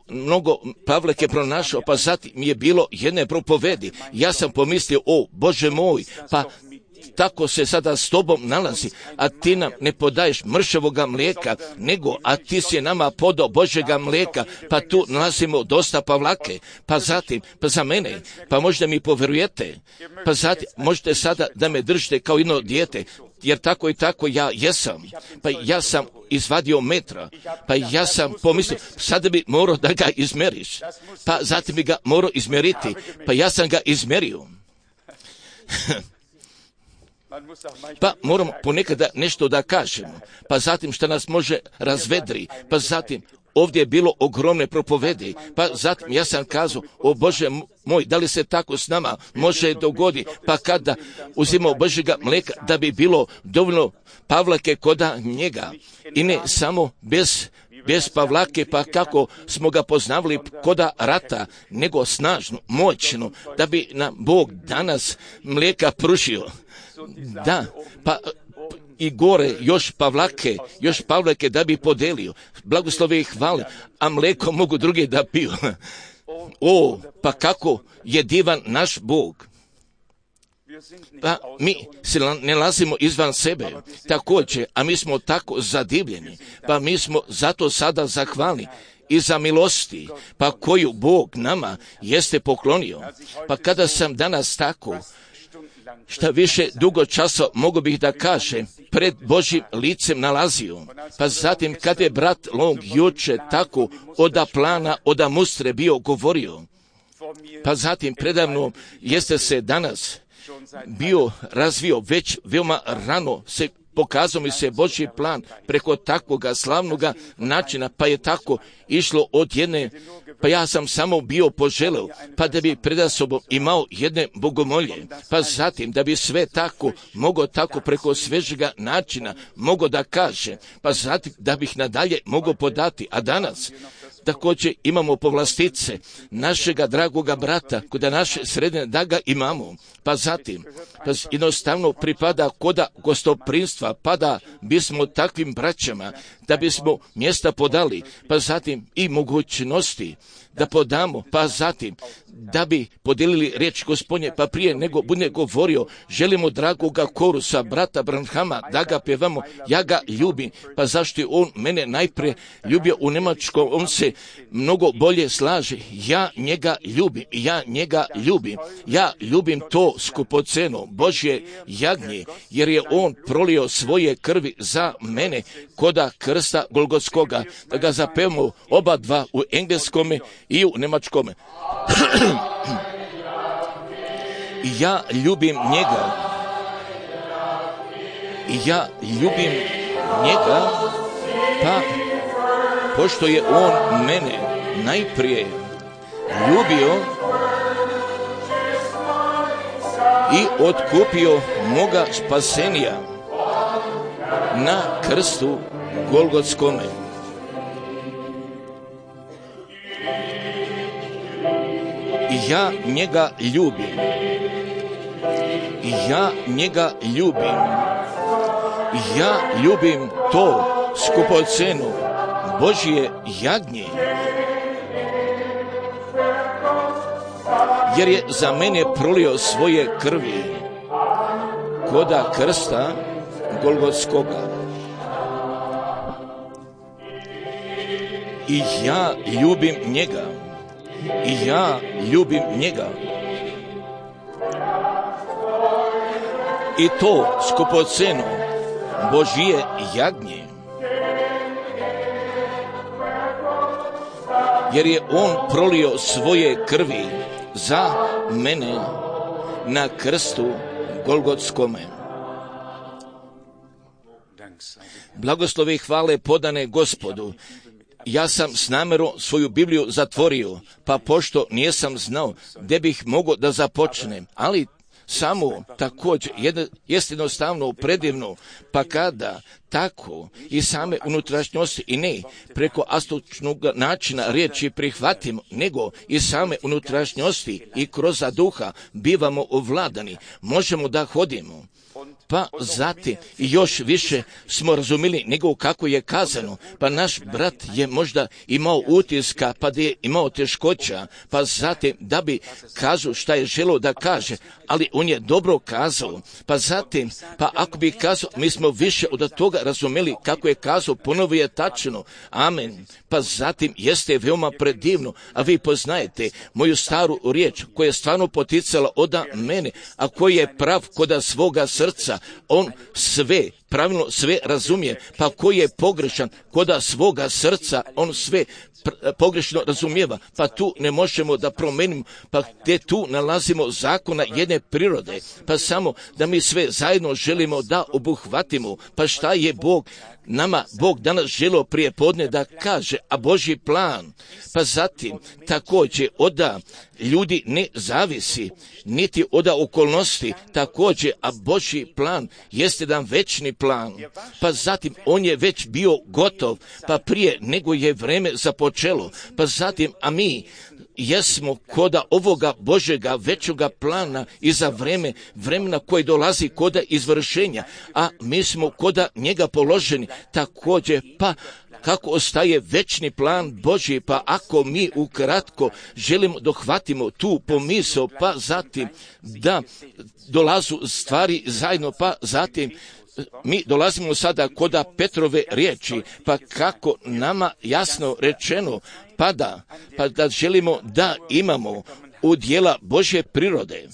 mnogo pavlake pronašao, pa zatim je bilo jedne propovedi, ja sam pomislio, o Bože moj, pa tako se sada s tobom nalazi, a ti nam ne podaješ mršavoga mlijeka, nego, a ti si nama podao Božjega mlijeka, pa tu nalazimo dosta pavlake, pa zatim, pa za mene, pa možda mi poverujete, pa zatim, možete sada da me držite kao jedno dijete, jer tako i tako ja jesam, pa ja sam izvadio metra, pa ja sam pomislio, sada bi morao da ga izmeriš, pa zatim bi ga morao izmeriti, pa ja sam ga izmerio. Pa moramo ponekada nešto da kažemo, pa zatim šta nas može razvedri, pa zatim ovdje je bilo ogromne propovedi, pa zatim ja sam kazao, o Bože moj, da li se tako s nama može dogodi, pa kada uzimao Božjega mlijeka da bi bilo dovoljno Pavlake koda njega i ne samo bez Pavlake, pa kako smo ga poznavali koda rata, nego snažno, moćno, da bi nam Bog danas mlijeka pružio. Da, pa i gore još Pavlake da bi podelio. Blagoslove i hvale, a mlijeko mogu drugi da piju. O, pa kako je divan naš Bog. Pa mi se ne nalazimo izvan sebe, također, a mi smo tako zadivljeni, pa mi smo zato sada zahvalni i za milosti, pa koju Bog nama jeste poklonio. Pa kada sam danas tako, šta više dugo časa mogu bih da kažem, pred Božjim licem nalazio, pa zatim kada je brat Long juče tako oda plana, oda mustre bio govorio, pa zatim predavno jeste se danas bio razvio već veoma rano se pokazao mi se Božji plan preko takvoga slavnoga načina, pa je tako išlo od jedne, pa ja sam samo bio poželeo, pa da bi pred sobom imao jedne bogomolje, pa zatim da bi sve tako mogao tako preko svežega načina mogao da kaže, pa zatim da bih nadalje mogao podati, a danas također imamo povlastice našega dragoga brata, kuda naše sredine da ga imamo, pa zatim pa jednostavno pripada koda gostoprinstva, pa da bismo takvim braćama, da bismo mjesta podali, pa zatim i mogućnosti da podamo, pa zatim da bi podijelili riječ Gospodnje, pa prije nego bude govorio, želimo dragoga korusa, brata Branhama, da ga pjevamo, ja ga ljubim, pa zašto je on mene najprije ljubio u Njemačkom, on se mnogo bolje slaže, ja njega ljubim to skupoceno, Božje jagnje, jer je on prolio svoje krvi za mene, koda krsta Golgotskoga, da ga zapevamo oba dva u engleskome i u njemačkome. Ja ljubim njega, pa pošto je on mene najprije ljubio i otkupio moga spasenija na krstu Golgotskome. Ja njega ljubim to skupocenu Božje jagnje, jer je za mene prolio svoje krvi koda krsta Golgotskoga. I ja ljubim njega. I to skupoceno Božje jagnje, jer je on prolio svoje krvi za mene na krstu Golgotskome. Blagoslove i hvale podane Gospodu. Ja sam s namjerom svoju Bibliju zatvorio, pa pošto nisam znao gdje bih mogao da započnem, ali samo također jest jednostavno predivno, pa kada tako i same unutrašnjosti i ne preko astočnog načina riječi prihvatimo, nego i same unutrašnjosti i kroz duha bivamo ovladani, možemo da hodimo. Pa zatim još više smo razumili nego kako je kazano, pa naš brat je možda imao utiska, pa da je imao teškoća, pa zatim da bi kazao šta je želeo da kaže, ali on je dobro kazao, pa zatim, pa ako bi kazao, mi smo više od toga razumeli kako je kazao, ponovo je tačno, amen, pa zatim jeste veoma predivno, a vi poznajete moju staru riječ koja je stvarno poticala od mene, a koji je prav koda svoga srca, on sve pravilno sve razumije, pa ko je pogrešan, koda svoga srca on sve pogrešno razumijeva, pa tu ne možemo da promenimo, pa gdje tu nalazimo zakona jedne prirode, pa samo da mi sve zajedno želimo da obuhvatimo, pa šta je nama Bog danas želio prije podne da kaže, a Božji plan, pa zatim također oda ljudi ne zavisi, niti oda okolnosti, također, a Božji plan jeste jedan večni plan, pa zatim on je već bio gotov, pa prije nego je vreme započelo, pa zatim, a mi jesmo koda ovoga Božjega većega plana i za vremena koje dolazi koda izvršenja, a mi smo koda njega položeni, također, pa kako ostaje večni plan Božji, pa ako mi ukratko želimo dohvatimo tu pomisao, pa zatim da dolazu stvari zajedno, pa zatim mi dolazimo sada koda Petrove riječi, pa kako nama jasno rečeno, pa da želimo da imamo udjela Božje prirode.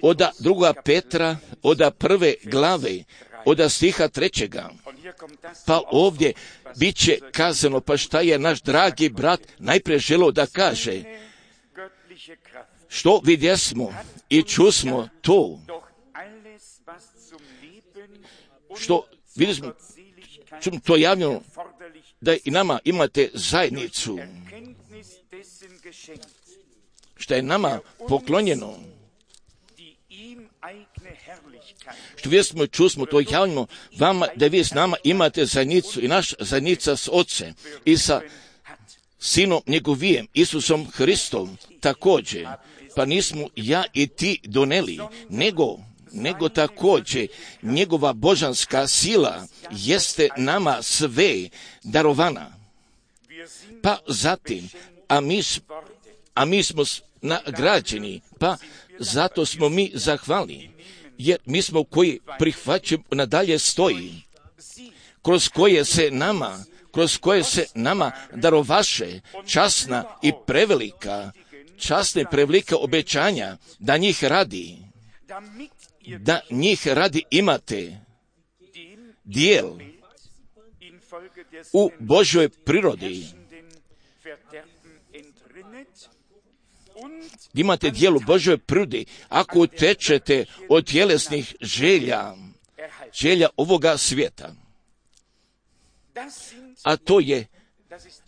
Oda 2. Petra, oda 1. glave, oda stiha 3. Pa ovdje bit će kazano, pa šta je naš dragi brat najprije želio da kaže, što vidjesmo i čusmo to, što vidimo, to javljeno, da i nama imate zajednicu, što je nama poklonjeno, što vidimo i čusmo, to javljamo vama, da vi s nama imate zajednicu i naš zajednica s Otcem i sa Sinom njegovijem, Isusom Hristom, također, pa nismo ja i ti doneli, nego također njegova božanska sila jeste nama sve darovana. Pa zatim, a mi smo nagrađeni, pa zato smo mi zahvalni, jer mi smo koji prihvaćamo nadalje stoji, kroz koje se nama darovaše časna i prevelika obećanja, da njih radi imate dijel u Božjoj prirodi. Imate dijel u Božjoj prirodi ako utečete od tjelesnih želja ovoga svijeta. A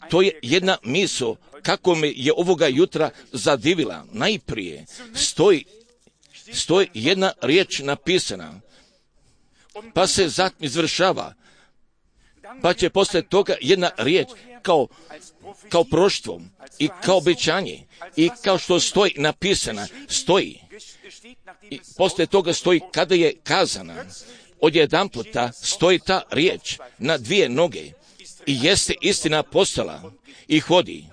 to je jedna misao kako me je ovoga jutra zadivila. Najprije stoji jedna riječ napisana, pa se zatim izvršava, pa će poslije toga jedna riječ kao proštvo i kao obećanje i kao što stoji napisana, i poslije toga stoji kada je kazana. Odjedanputa stoji ta riječ na 2 noge i jeste istina postala i hodi.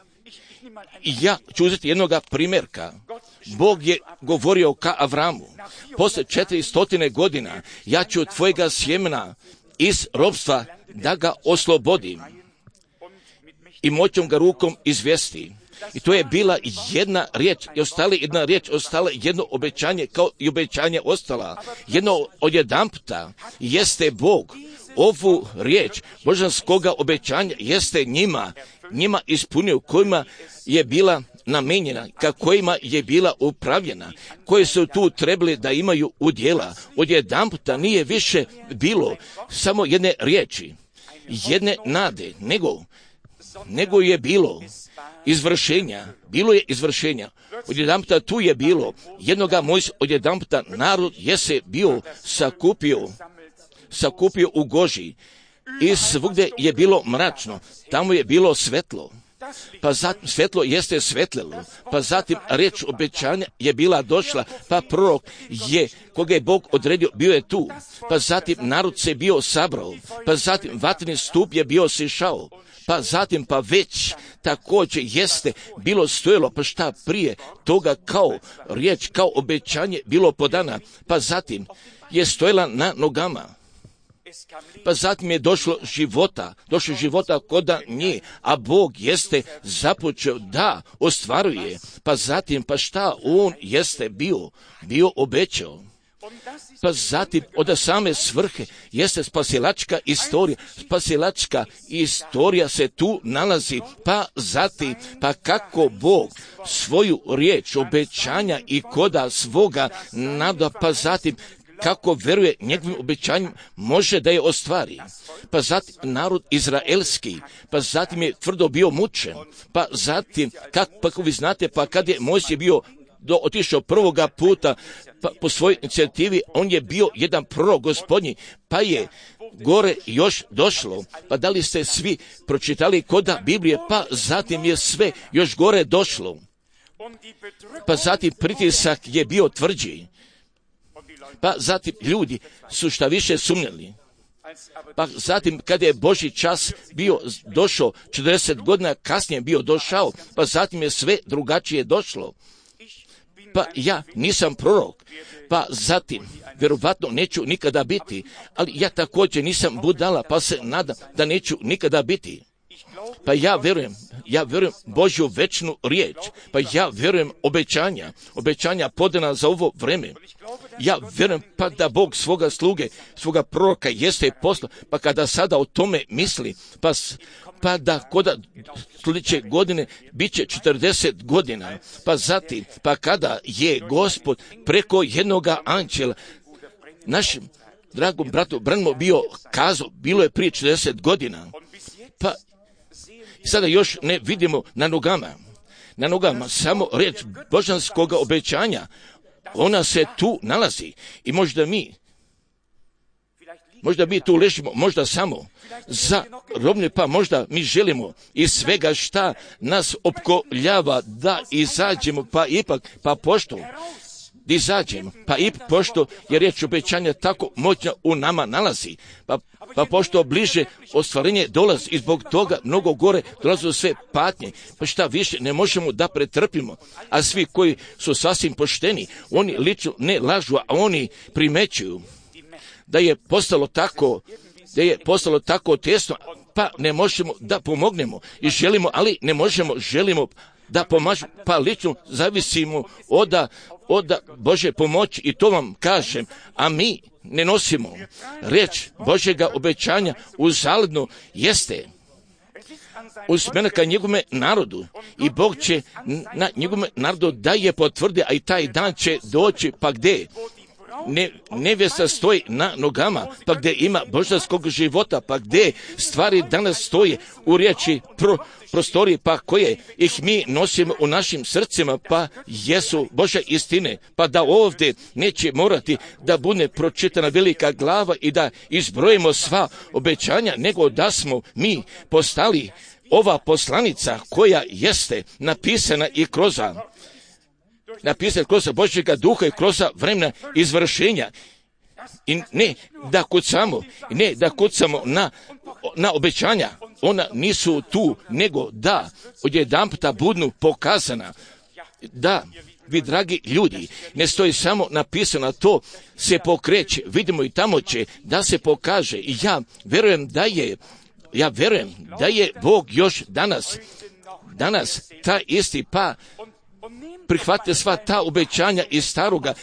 I ja ću uzeti jednoga primjerka. Bog je govorio ka Avramu, poslije 400 godina ja ću tvojega sjemena iz ropstva da ga oslobodim i moćom ga rukom izvesti. I to je bila jedna riječ, ostala jedno obećanje, kao i obećanje ostala. Jedno odjedanputa jeste Bog ovu riječ božanskoga obećanja jeste njima ispunio, kojima je bila namenjena, kojima je bila upravljena, koje su tu trebali da imaju udjela. Odjedanputa nije više bilo samo jedne riječi, jedne nade, nego je bilo izvršenja. Odjedanputa tu je bilo jednoga odjedanputa narod je se bio sakupio u Goži i svugdje je bilo mračno, tamo je bilo svetlo. Pa zatim svetlo jeste svetlilo, pa zatim riječ obećanja je bila došla, pa prorok koga je Bog odredio, bio je tu, pa zatim narod se bio sabrao, pa zatim vatreni stup je bio sišao, pa zatim pa već također jeste bilo stojalo, pa šta prije toga kao riječ, kao obećanje bilo podana, pa zatim je stojala na nogama. Pa zatim je došlo života koda nje, a Bog jeste započeo da ostvaruje, pa zatim pa šta on jeste bio obećao. Pa zatim od same svrhe jeste spasilačka istorija. Spasilačka istorija se tu nalazi. Pa zatim, pa kako Bog svoju riječ, obećanja i koda svoga nada, pa zatim kako veruje njegovim obećanjem, može da je ostvari. Pa zatim narod izraelski, pa zatim je tvrdo bio mučen, pa zatim, kako vi znate, pa kad je Mojsije bio otišao prvoga puta pa, po svojoj inicijativi, on je bio jedan prorok gospodnji, pa je gore još došlo. Pa da li ste svi pročitali koda Biblije, pa zatim je sve još gore došlo. Pa zatim pritisak je bio tvrđi. Pa zatim ljudi su šta više sumnjali. Pa zatim kada je Božji čas bio došao, 40 godina kasnije bio došao, pa zatim je sve drugačije došlo. Pa ja nisam prorok, pa zatim vjerovatno neću nikada biti, ali ja također nisam budala, pa se nadam da neću nikada biti. Pa ja vjerujem Božju večnu riječ, pa ja vjerujem obećanja podana za ovo vreme. Ja vjerujem pa da Bog svoga sluge, svoga proroka jeste poslao, pa kada sada o tome misli, pa da koda sljedeće godine bit će 40 godina, pa zatim, pa kada je Gospod preko jednoga anđela našem dragom bratu Branhamo bio kazao, bilo je prije 40 godina, pa sada još ne vidimo na nogama samo riječ božanskoga obećanja, ona se tu nalazi i možda mi tu ležimo, možda samo za robne, pa možda mi želimo iz svega šta nas opkoljava da izađemo, pa ipak, pa pošto izađemo, pa i pošto je riječ obećanja tako moćna u nama nalazi, pa pošto bliže ostvarenje dolazi i zbog toga mnogo gore dolaze sve patnje, pa šta više ne možemo da pretrpimo, a svi koji su sasvim pošteni, oni lično ne lažu, a oni primećuju da je postalo tako tesno, pa ne možemo da pomognemo i želimo, ali ne želimo da pomažemo, pa lično zavisimo od Bože pomoći i to vam kažem, a mi ne nosimo riječ Božjega obećanja uzaludno jeste usmjerena ka njegovome narodu i Bog će na njegovome narodu da je potvrdi, a i taj dan će doći, pa gdje nevjesta stoji na nogama, pa gdje ima božanskog života, pa gdje stvari danas stoje u riječi prostorije, pa koje ih mi nosimo u našim srcima, pa jesu Božja istine, pa da ovdje neće morati da bude pročitana velika glava i da izbrojimo sva obećanja, nego da smo mi postali ova poslanica koja jeste napisana i kroz Božjega duha i kroz vremena izvršenja. I ne da kucamo na obećanja, ona nisu tu, nego da odjedanputa budu pokazana. Da, vi dragi ljudi, ne stoji samo napisano, to se pokreće, vidimo i tamo će da se pokaže. I ja vjerujem da je Bog još danas ta isti, pa prihvatite sva ta obećanja iz Staroga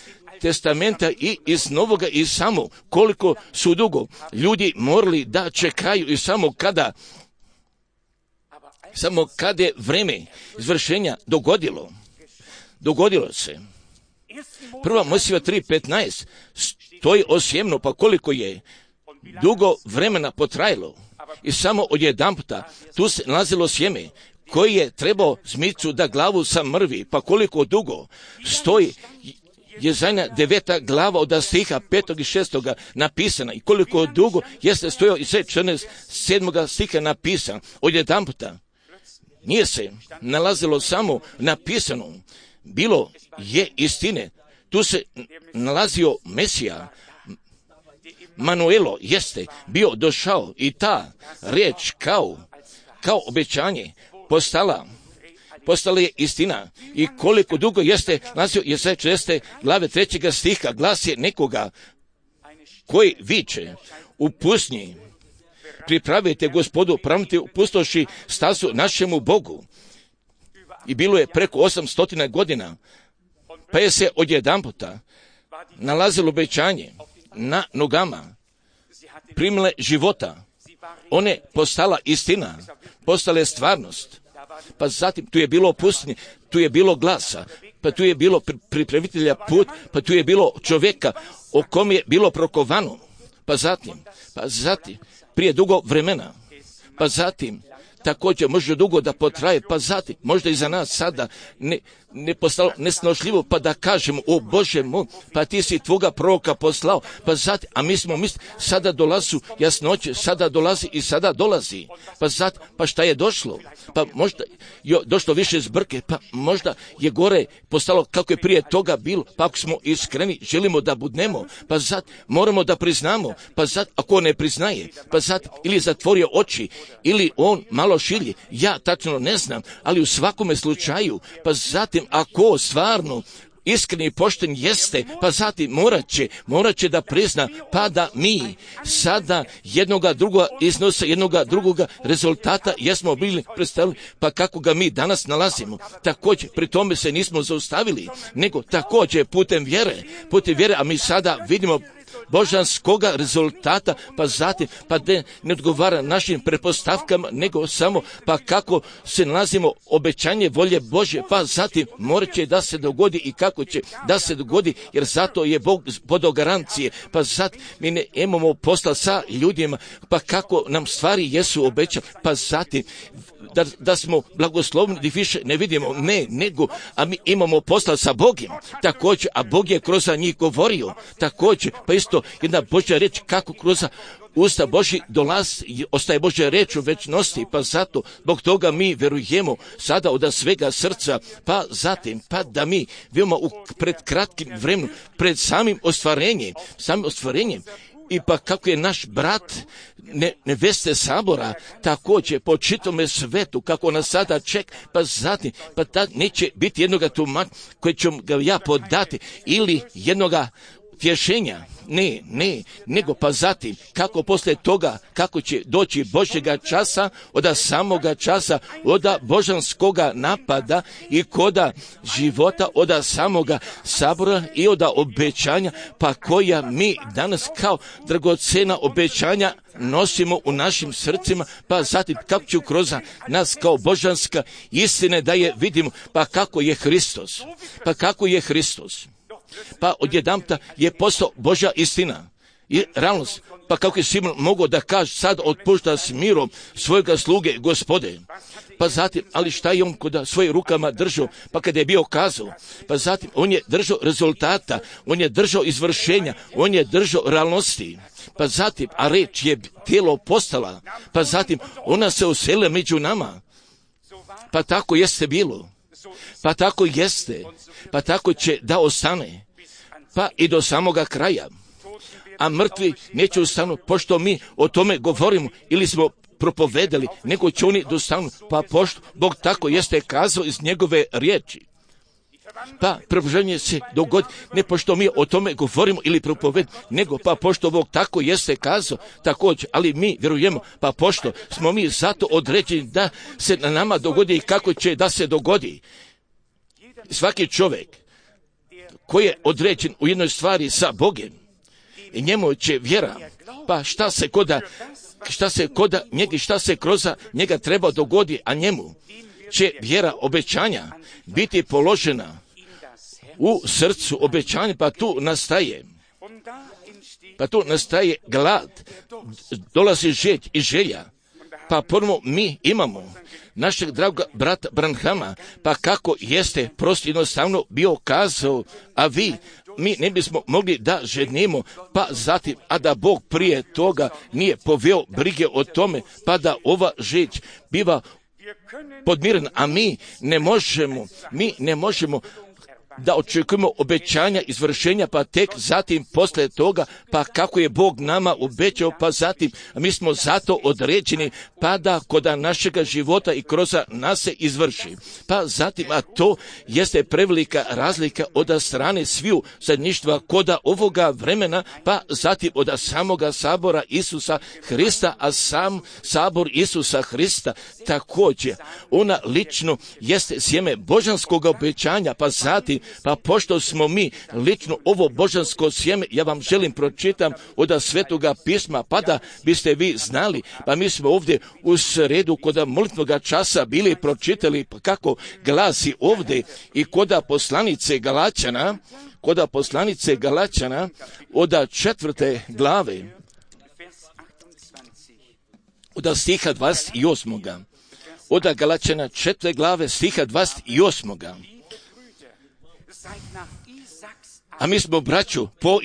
testamenta i iz Novoga, i samo koliko su dugo ljudi morali da čekaju i samo kada je vreme izvršenja dogodilo se. Prva Mojsijeva 3:15 stoji osjemno, pa koliko je dugo vremena potrajalo i samo odjedanputa tu se nalazilo sjeme koji je trebao zmicu da glavu samrvi, pa koliko dugo stoji Jezajna 9. glava od stiha 5. i 6. napisana i koliko dugo jeste stojao i sve 7. stiha napisan. Odjedanputa nije se nalazilo samo napisano, bilo je istine. Tu se nalazio Mesija, Manuelo jeste bio došao i ta riječ kao obećanje postala je istina. I koliko dugo jeste nalazio Jesaja 40. glave 3. stiha, glas je nekoga koji viče u pustinji, pripravite Gospodu, pravite u pustoši stazu našemu Bogu. I bilo je preko 800 godina, pa je se odjedanputa, nalazilo obećanje na nogama, primile života, one postala istina, postale stvarnost. Pa zatim tu je bilo pustinje, tu je bilo glasa, pa tu je bilo pripravitelja put, pa tu je bilo čovjeka o kom je bilo prokovano. Pa zatim, prije dugo vremena, pa zatim, također može dugo da potraje, pa zatim, možda i za nas sada ne postalo nesnošljivo, pa da kažemo, o Bože moj, pa ti si tvoga proroka poslao, pa zatim, a mi smo mislili, sada dolazu jasnoće, sada dolazi i sada dolazi, pa zatim, pa šta je došlo, pa možda je došlo više zbrke, pa možda je gore postalo kako je prije toga bilo, pa ako smo iskreni, želimo da budnemo, pa zatim, moramo da priznamo, pa zatim, ako ne priznaje, pa zatim, ili zatvorio oči, ili on malo šilje, ja tačno ne znam, ali u svakome slučaju, pa zatim, ako stvarno iskreni i pošten jeste, pa zatim morat će da prizna, pa da mi sada jednoga drugoga iznosa, jednoga drugoga rezultata jesmo bili predstavili, pa kako ga mi danas nalazimo. Također, pri tome se nismo zaustavili, nego također putem vjere, a mi sada vidimo božanskoga rezultata, pa zatim, pa ne odgovara našim pretpostavkama, nego samo, pa kako se nalazimo obećanje volje Božje, pa zatim morat će da se dogodi i kako će da se dogodi, jer zato je Bog podao garancije, pa zatim mi ne imamo posla sa ljudima, pa kako nam stvari jesu obećane, pa zatim da smo blagoslovni više ne vidimo, nego, a mi imamo posla sa Bogom, također, a Bog je kroz njih govorio, također, pa isto jedna Božja reč kako kroz usta Božji dolazi, ostaje Božja reč u večnosti, pa zato, zbog toga mi verujemo sada od svega srca, pa zatim, pa da mi vidimo pred kratkim vremenom, pred samim ostvarenjem, i pa kako je naš brat neveste sabora također po čitome svetu, kako nas sada čeka, pa zatim, pa tad neće biti jednoga tumača koje ću ga ja podati ili jednoga tješenja, nego pa zatim, kako poslije toga, kako će doći Božjega časa, od samoga časa, od božanskoga napada i koda života, od samoga sabora i od obećanja, pa koja mi danas kao dragocena obećanja nosimo u našim srcima, pa zatim kako će kroz nas kao božanska istine da je vidimo, pa kako je Hristos. Pa odjedanputa je postao Božja istina i realnost, pa kako je Simon mogao da kaže sad otpušta s mirom svojega sluge Gospode, pa zatim, ali šta je on kod svojim rukama držao, pa kada je bio kazao, pa zatim on je držao rezultata, on je držao izvršenja, on je držao realnosti, pa zatim, a reč je tijelo postala, pa zatim ona se uselila među nama, pa tako jeste bilo, pa tako jeste, pa tako će da ostane, pa i do samoga kraja. A mrtvi neće ustanu, pošto mi o tome govorimo ili smo propovedali, nego će oni dostanu, pa pošto Bog tako jeste kazao iz njegove riječi. Pa preboženje se dogodi, ne pošto mi o tome govorimo ili propovedamo, nego pa pošto Bog tako jeste kazao također, ali mi vjerujemo, pa pošto smo mi zato određeni da se na nama dogodi i kako će da se dogodi. Svaki čovjek koji je određen u jednoj stvari sa Bogom, i njemu će vjera, pa šta se kroz njega treba dogodi, a njemu će vjera obećanja biti položena u srcu obećanja, pa tu nastaje glad, dolazi žeć i želja, pa ponovno mi imamo našeg dragog brata Branhama, pa kako jeste prosto jednostavno bio kazao, a mi ne bismo mogli da ženimo, pa zatim, a da Bog prije toga nije poveo brige o tome, pa da ova žeć biva podmirena, a mi ne možemo da očekujemo obećanja, izvršenja, pa tek zatim poslije toga, pa kako je Bog nama obećao, pa zatim mi smo zato određeni, pa da kod našega života i kroz nas se izvrši. Pa zatim, a to jeste prevelika razlika od strane sviju zajedništva kod ovoga vremena, pa zatim od samoga sabora Isusa Hrista, a sam sabor Isusa Hrista također, ona lično jeste sjeme božanskog obećanja, pa zatim Pa pošto smo mi lično ovo božansko sjeme, ja vam želim pročitam od Svetoga pisma, pa da biste vi znali, pa mi smo ovdje u sredu kod molitvenoga časa bili pročitali kako glasi ovdje i kod poslanice Galačana, od 4. glave, od stiha 28. Od Galačana 4. glave stiha 28. A mi smo, braću, po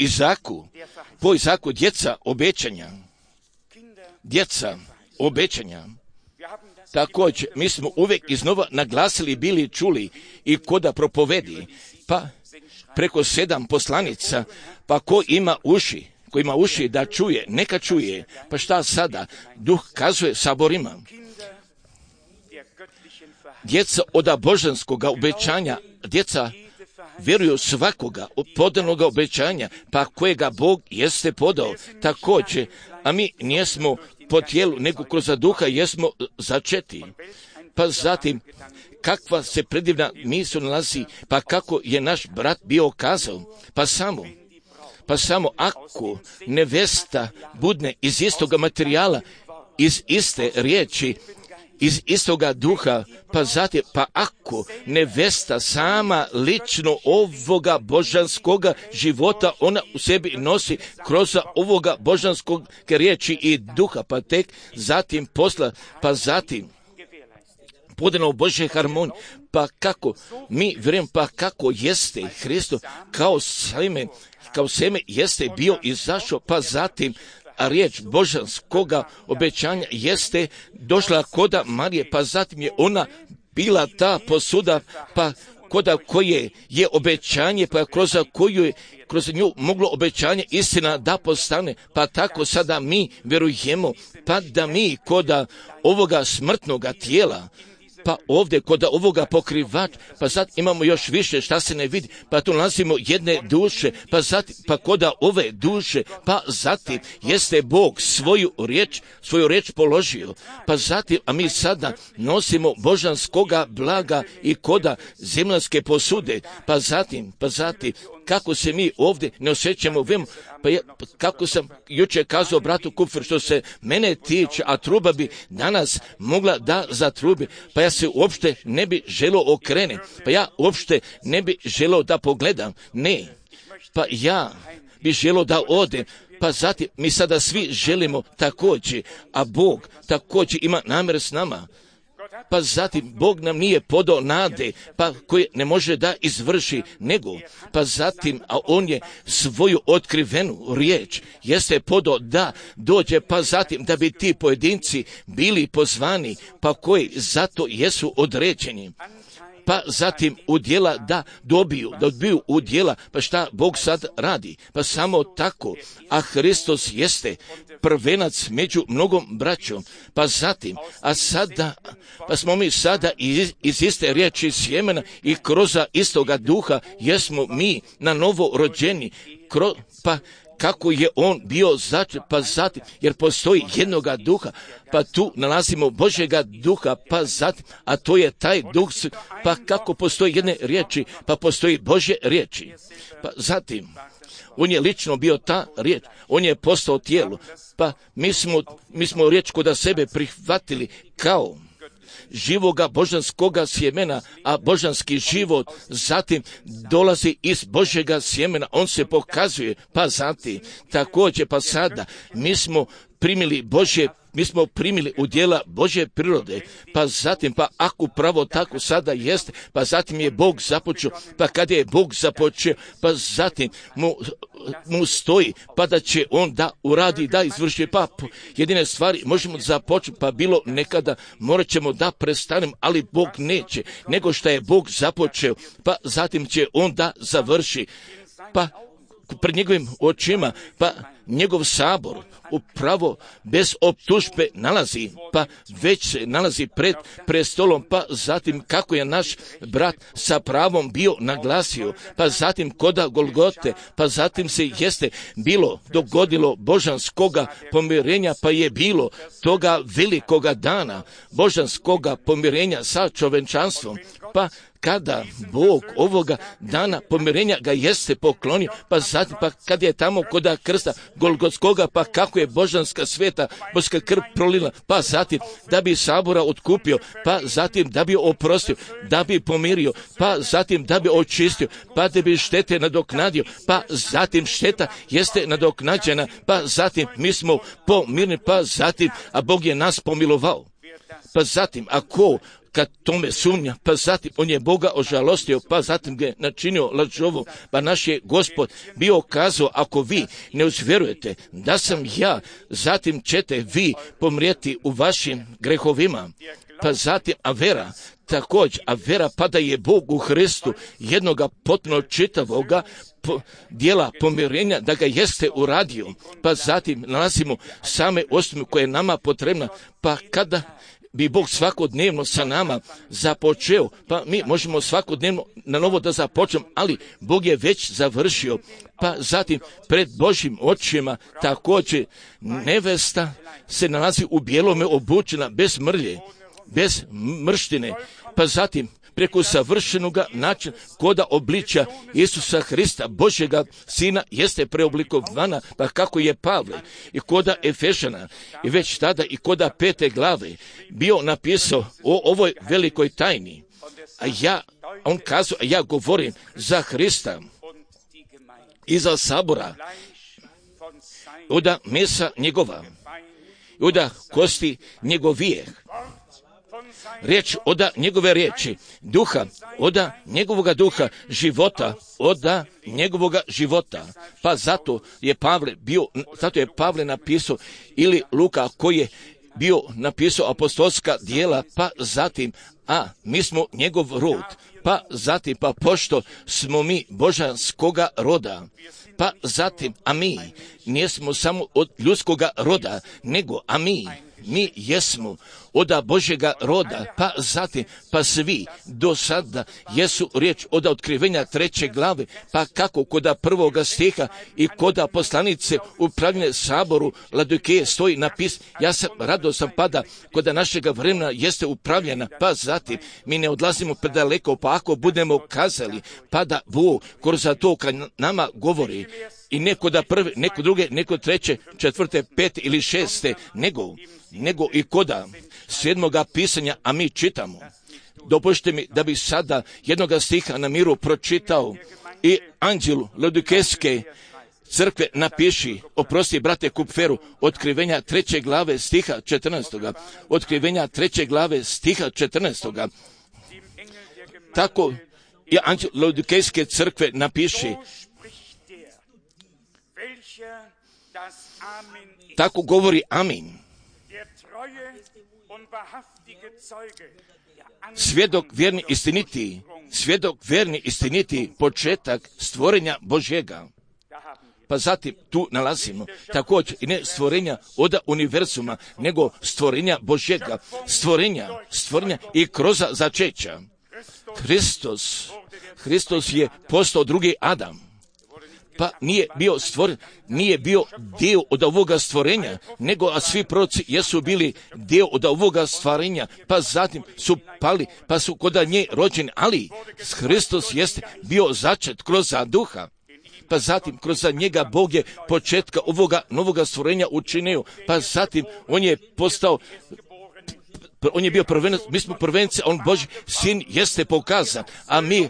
Izaku djeca obećanja. Također, mi smo uvijek iznova naglasili, bili čuli i koda propovedi, pa preko 7 poslanica, pa ko ima uši da čuje, neka čuje. Pa šta sada? Duh kazuje saborima. Djeca od božanskoga obećanja, djeca vjeruju svakoga podanog obećanja, pa kojega Bog jeste podao. Također, a mi nijesmo po tijelu, nego kroz duha jesmo začeti. Pa zatim, kakva se predivna misao nalazi, pa kako je naš brat bio kazao, pa samo ako nevesta budne iz istoga materijala, iz iste riječi, iz istoga duha, pa zatim, pa ako nevesta sama lično ovoga božanskoga života, ona u sebi nosi kroz ovoga božanskog riječi i duha, pa tek zatim posla, pa zatim podano u Božje harmoniji, pa kako mi vjerujem, pa kako jeste Hristo kao seme jeste bio izašao, pa zatim a riječ božanskoga obećanja jeste došla koda Marije, pa zatim je ona bila ta posuda, pa koda koje je obećanje, pa kroz nju moglo obećanje istina da postane, pa tako sada mi vjerujemo, pa da mi koda ovoga smrtnoga tijela, pa ovdje kod ovoga pokrivač, pa sad imamo još više šta se ne vidi, pa tu nalazimo jedne duše, pa zatim, pa kod ove duše, pa zatim jeste Bog svoju riječ položio, pa zatim, a mi sada nosimo božanskoga blaga i koda zemljanske posude, pa zatim, kako se mi ovdje ne osjećamo, kako sam jučer kazao bratu Kupfer, što se mene tiče, a truba bi danas mogla da zatrubi, pa ja se uopšte ne bi želio okrene, pa ja uopšte ne bi želio da pogledam, ne, pa ja bi želio da odem, pa zatim mi sada svi želimo također, a Bog također ima namjer s nama. Pa zatim Bog nam nije podao nade, pa koje ne može da izvrši, nego, pa zatim, a on je svoju otkrivenu riječ jeste podao da dođe, pa zatim da bi ti pojedinci bili pozvani, pa koji zato jesu određeni. Pa zatim udjela da dobiju udjela, pa šta Bog sad radi? Pa samo tako, a Hristos jeste prvenac među mnogom braćom, pa zatim, a sada, pa smo mi sada iz iste riječi sjemena i kroz istoga duha jesmo mi na novo rođeni, pa kako je on bio začet, pa zatim, jer postoji jednoga duha, pa tu nalazimo Božjega duha, pa zatim, a to je taj duh, pa kako postoji jedne riječi, pa postoji Božje riječi, pa zatim, on je lično bio ta riječ, on je postao tijelo, pa mi smo riječ kod sebe prihvatili kao živoga božanskoga sjemena, a božanski život zatim dolazi iz Božjega sjemena, on se pokazuje, pa zatim također, pa sada mi smo primili udjela Božje prirode, pa zatim, pa ako pravo tako sada jeste, pa zatim je Bog započeo, pa kada je Bog započeo, pa zatim mu stoji, pa da će on da uradi, da izvrši, pa jedine stvari možemo započeti, pa bilo nekada morat ćemo da prestanemo, ali Bog neće, nego što je Bog započeo, pa zatim će on da završi, pa pred njegovim očima, pa njegov sabor upravo bez optužbe nalazi, pa već se nalazi pred prestolom, pa zatim kako je naš brat sa pravom bio naglasio, pa zatim koda Golgote, pa zatim se jeste dogodilo božanskoga pomirenja, pa je bilo toga velikoga dana božanskoga pomirenja sa čovječanstvom, pa kada Bog ovoga dana pomirenja ga jeste poklonio, pa zatim pa kad je tamo kod krsta Golgotskoga, pa kako je božanska sveta, božska krv prolila, pa zatim da bi sabora otkupio, pa zatim da bi oprostio, da bi pomirio, pa zatim da bi očistio, pa da bi štete nadoknadio, pa zatim šteta jeste nadoknađena, pa zatim mi smo pomirni, pa zatim, a Bog je nas pomilovao. Pa zatim, ako kad tome sumnja, pa zatim on je Boga ožalostio, pa zatim ga je načinio lažovom, pa naš je Gospod bio kazao, ako vi ne uzvjerujete da sam ja, zatim ćete vi pomrijeti u vašim grehovima. Pa zatim, a vera, također, a vera pa da je Bog u Hristu jednoga potpuno čitavoga dijela pomirenja, da ga jeste uradio, pa zatim nalazimo same osnove koje je nama potrebna, pa kada bi Bog svakodnevno sa nama započeo, pa mi možemo svakodnevno na novo da započnemo, ali Bog je već završio, pa zatim pred Božjim očima također nevesta se nalazi u bijelome obučena, bez mrlje, bez mrštine, pa zatim preko savršenoga načina koda obličja Isusa Hrista, Božjega Sina, jeste preoblikovana, pa kako je Pavle i koda Efešana i već tada i koda 5. glave bio napisao o ovoj velikoj tajni. On kazao, a ja govorim za Hrista i za sabora, oda mesa njegova, oda kosti njegovijeh, riječ oda njegove riječi, duha, oda njegovoga duha, života, oda njegovoga života. Pa zato je Pavle napisao, ili Luka koji je bio napisao apostolska djela, pa zatim, a mi smo njegov rod, pa zatim, pa pošto smo mi božanskoga roda, pa zatim, a mi nismo samo od ljudskoga roda, nego a mi jesmo od Božjega roda, pa zatim, pa svi do sada jesu riječ od otkrivenja 3. glave, pa kako kod 1. stiha i kod poslanice upravljene saboru Laodikeje stoji napis, ja sam radostan pada kod našega vremena jeste upravljena, pa zatim mi ne odlazimo predaleko, pa ako budemo kazali, pa da Bog kroz to kad nama govori, i neko da prve, neko druge, neko treće, četvrte, pete ili šeste, nego i koda 7. pisanja, a mi čitamo. Dopustite mi da bi sada jednoga stiha na miru pročitao i anđelu Laodikejske crkve napiši, oprosti brate Kupferu, otkrivenja 3. glave stiha 14. Otkrivenja 3. glave stiha 14. Tako i anđel Laodikejske crkve napiši, tako govori Amin. Svjedok vjerni istiniti, početak stvorenja Božjega. Pa zatim tu nalazimo također i ne stvorenja od univerzuma, nego stvorenja Božjega, stvorenja i kroz začeća. Hristos je postao drugi Adam. Pa nije bio stvoren, nije bio dio od ovoga stvorenja, nego a svi proroci jesu bili dio od ovoga stvorenja, pa zatim su pali, pa su kod nje rođeni, ali Hristos jeste bio začet kroz duha. Pa zatim kroz njega Bog je početka ovoga novoga stvorenja učinio, pa zatim on je postao, on je bio prvenac, mi smo prvence, on Božji sin jeste pokazan, a mi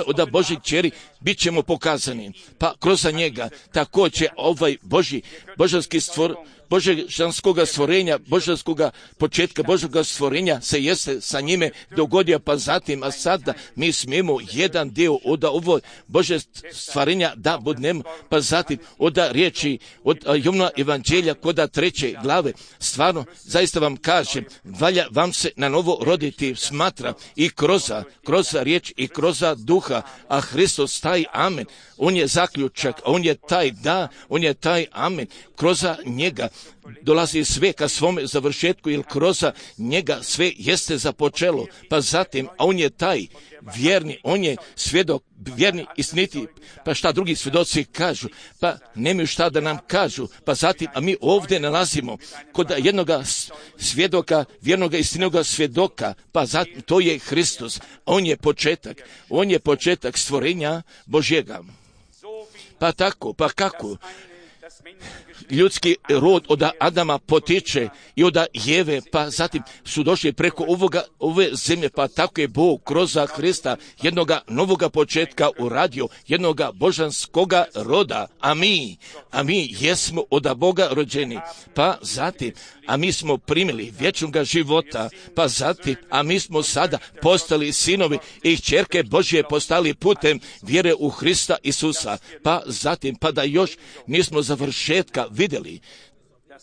od Božjih kćeri bit ćemo pokazani. Pa kroz njega također ovaj božanski božanskoga stvorenja, božanskoga početka Božjega stvorenja se jeste sa njime dogodio, pa zatim, a sada mi smijemo jedan dio od ovo Božje stvorenja da budemo, pa zatim od riječi, od Jovnova evanđelja kod 3. glave, stvarno, zaista vam kažem, valja vam se na novo roditi, smatra i kroz riječ i kroz duha, a Hristos taj amen, on je zaključak, on je taj da, on je taj amen, kroz njega dolazi sve ka svome završetku, jer kroz njega sve jeste započelo. Pa zatim, a on je taj vjerni, on je svjedok, vjerni, istiniti. Pa šta drugi svjedoci kažu? Pa nemaju šta da nam kažu. Pa zatim, a mi ovdje nalazimo kod jednoga svjedoka, vjernoga, istinoga svjedoka. Pa zatim, to je Hristos. On je početak stvorenja Božjega. Pa tako, pa kako? Ljudski rod od Adama potiče i od Jeve, pa zatim su došli preko ove zemlje, pa tako je Bog kroz Hrista jednoga novoga početka uradio, jednoga božanskoga roda, a mi jesmo od Boga rođeni, pa zatim, a mi smo primili vječnoga života, pa zatim, a mi smo sada postali sinovi i kćerke Božje postali putem vjere u Hrista Isusa, pa zatim, pa da još nismo završetka vidjeli,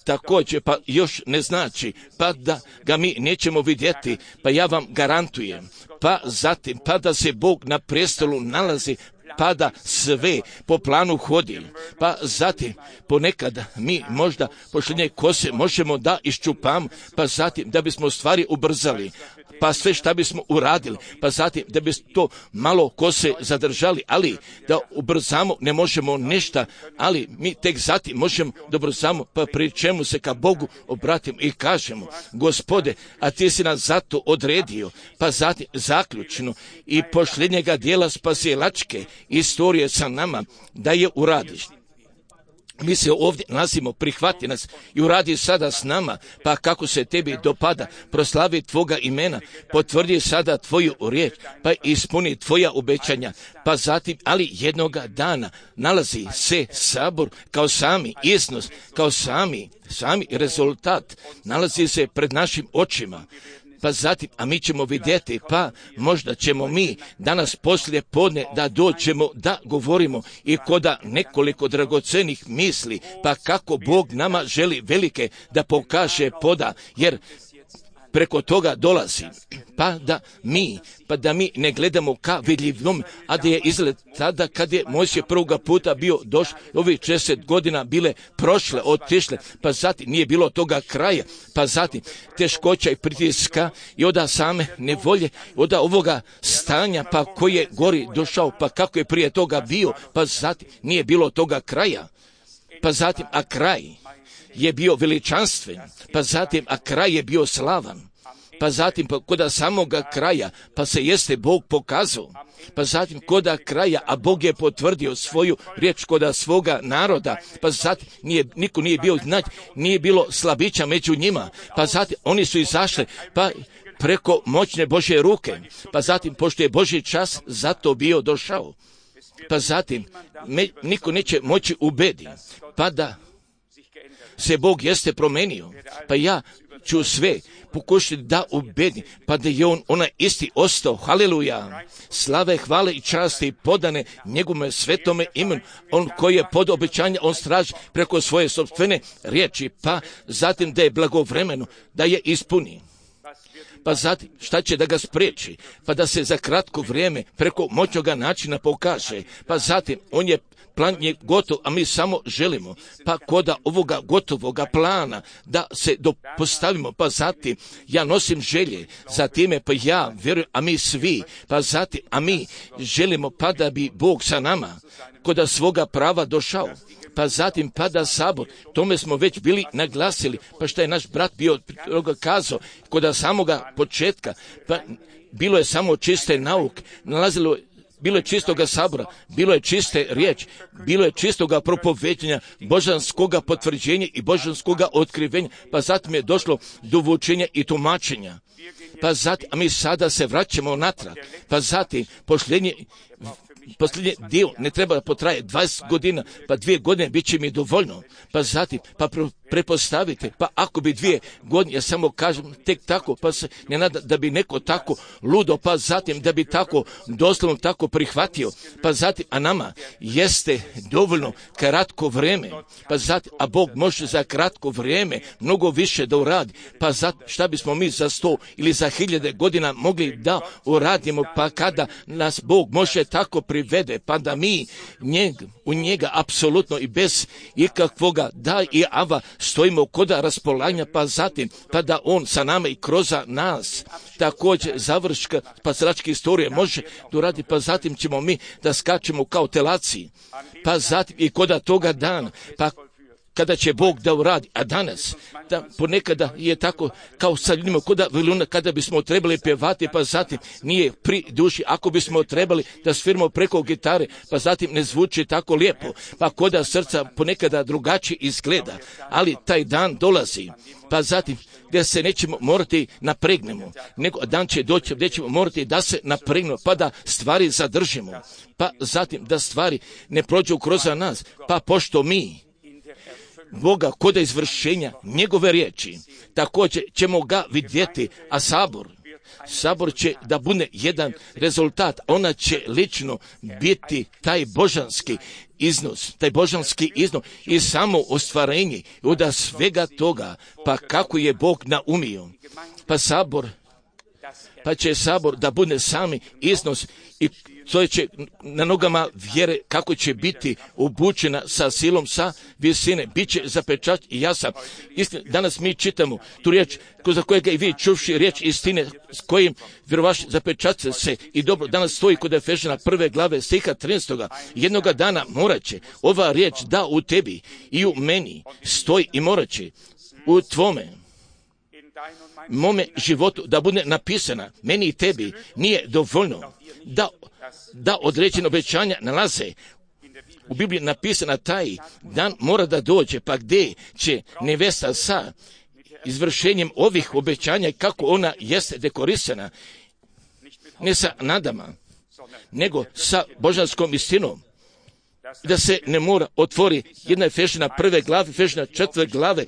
također, pa još ne znači, pa da ga mi nećemo vidjeti, pa ja vam garantujem, pa zatim, pa da se Bog na prestolu nalazi, pa da sve po planu hodi, pa zatim ponekad mi možda pošljenje kose možemo da iščupamo, pa zatim da bismo stvari ubrzali, pa sve šta bismo uradili, pa zatim da bismo to malo kose zadržali, ali da ubrzamo ne možemo ništa, ali mi tek zatim možemo da ubrzamo, pa pri čemu se ka Bogu obratimo i kažemo, Gospode, a ti si nas zato odredio, pa zatim zaključno i pošljenjega dijela spasilačke istorije sa nama, da je uradiš. Mi se ovdje nalazimo, prihvati nas i uradi sada s nama, pa kako se tebi dopada, proslavi tvoga imena, potvrdi sada tvoju riječ, pa ispuni tvoja obećanja, pa zatim, ali jednoga dana nalazi se sabor kao sami iznos, kao sami rezultat, nalazi se pred našim očima. Pa zatim, a mi ćemo vidjeti, pa možda ćemo mi danas poslije podne da dođemo da govorimo i koda nekoliko dragocenih misli, pa kako Bog nama želi velike da pokaže poda, jer preko toga dolazi, pa da mi ne gledamo ka vidljivom, a da je izgled tada kad je Mojsije prvoga puta bio došao, ovih 60 godina bile prošle, otišle, pa zatim nije bilo toga kraja, pa zatim teškoća i pritiska i od same nevolje, od ovoga stanja, pa koji je gori došao, pa kako je prije toga bio, pa zatim nije bilo toga kraja, pa zatim, a kraj je bio veličanstven, pa zatim, a kraj je bio slavan, pa zatim, koda samoga kraja, pa se jeste Bog pokazao, pa zatim koda kraja, a Bog je potvrdio svoju riječ koda svoga naroda, pa zatim niko nije bio nije bilo slabića među njima, pa zatim oni su izašli, pa preko moćne Božje ruke, pa zatim pošto je Božji čas zato bio došao, pa zatim niko neće moći ubediti, pa da se Bog jeste promenio, pa ja ću sve pokušati da ubedim, pa da je onaj isti ostao, haleluja, slave, hvale i časti podane njegovome svetome imenu, on koji je pod obećanje, on straži preko svoje sopstvene riječi, pa zatim da je blagovremeno, da je ispuni. Pa zatim, šta će da ga spriječi? Pa da se za kratko vrijeme preko moćnoga načina pokaže. Pa zatim, plan je gotov, a mi samo želimo, pa koda ovoga gotovoga plana da se postavimo, pa zatim ja nosim želje za time, pa ja vjerujem, a mi svi, pa zatim, a mi želimo pa da bi Bog sa nama koda svoga prava došao. Pa zatim pada sabor, tome smo već bili naglasili, pa što je naš brat bio kazao, koda samoga početka, pa bilo je samo čiste nauke, bilo je čistoga sabora, bilo je čiste riječ, bilo je čistoga propoveđenja, božanskoga potvrđenja i božanskoga otkrivenja, pa zatim je došlo do vučenja i tumačenja. Pa zatim, a mi sada se vraćamo natrag, pa zatim posljednji dio ne treba da potraje 20 godina, pa 2 godine bit će mi dovoljno, pa zatim, pa prepostavite, pa ako bi 2 godine, ja samo kažem tek tako, pa se ne nada da bi neko tako ludo, pa zatim da bi tako doslovno tako prihvatio, pa zatim, a nama jeste dovoljno kratko vrijeme, pa zatim, a Bog može za kratko vrijeme mnogo više da uradi, pa zatim, šta bismo mi za 100 ili za 1000 godina mogli da uradimo, pa kada nas Bog može tako privede, pa da mi u njega apsolutno i bez ikakvoga da i ava stojimo kod raspolaganja, pa zatim, pa da on sa nama i kroz nas također završka spasilačke istorije može doraditi, pa zatim ćemo mi da skačemo kao telaci, pa zatim i kod toga dana, pa kada će Bog da uradi, a danas, da ponekada je tako kao sa ljudima kada bismo trebali pjevati, pa zatim nije pri duši, ako bismo trebali da sviramo preko gitare, pa zatim ne zvuči tako lijepo, pa koda srca ponekada drugačije izgleda, ali taj dan dolazi, pa zatim gdje se nećemo morati napregnemo, nego dan će doći gdje ćemo morati da se napregnemo, pa da stvari zadržimo, pa zatim da stvari ne prođu kroz nas, pa pošto mi Boga kod izvršenja njegove riječi, također ćemo ga vidjeti, a sabor će da bude jedan rezultat, ona će lično biti taj božanski iznos i samo ostvarenje od svega toga, pa kako je Bog naumio, pa će sabor da bude sami iznos i to će na nogama vjere kako će biti obučena sa silom, sa visine, bit će zapečat i jasan. Danas mi čitamo tu riječ za kojega i vi čuvši riječ istine s kojim vjerovaš zapečat se i dobro danas stoji kod Efežana 1. glave stiha 13. Jednoga dana morat će ova riječ da u tebi i u meni stoji i morat će u tvome mome životu da bude napisana, meni i tebi nije dovoljno da određene obećanja nalaze u Bibliji napisana, taj dan mora da dođe, pa gdje će nevesta sa izvršenjem ovih obećanja i kako ona jeste dekorisana, ne sa nadama, nego sa božanskom istinom, da se ne mora otvori jedna Efežana 1. glave, Efežana 4. glave,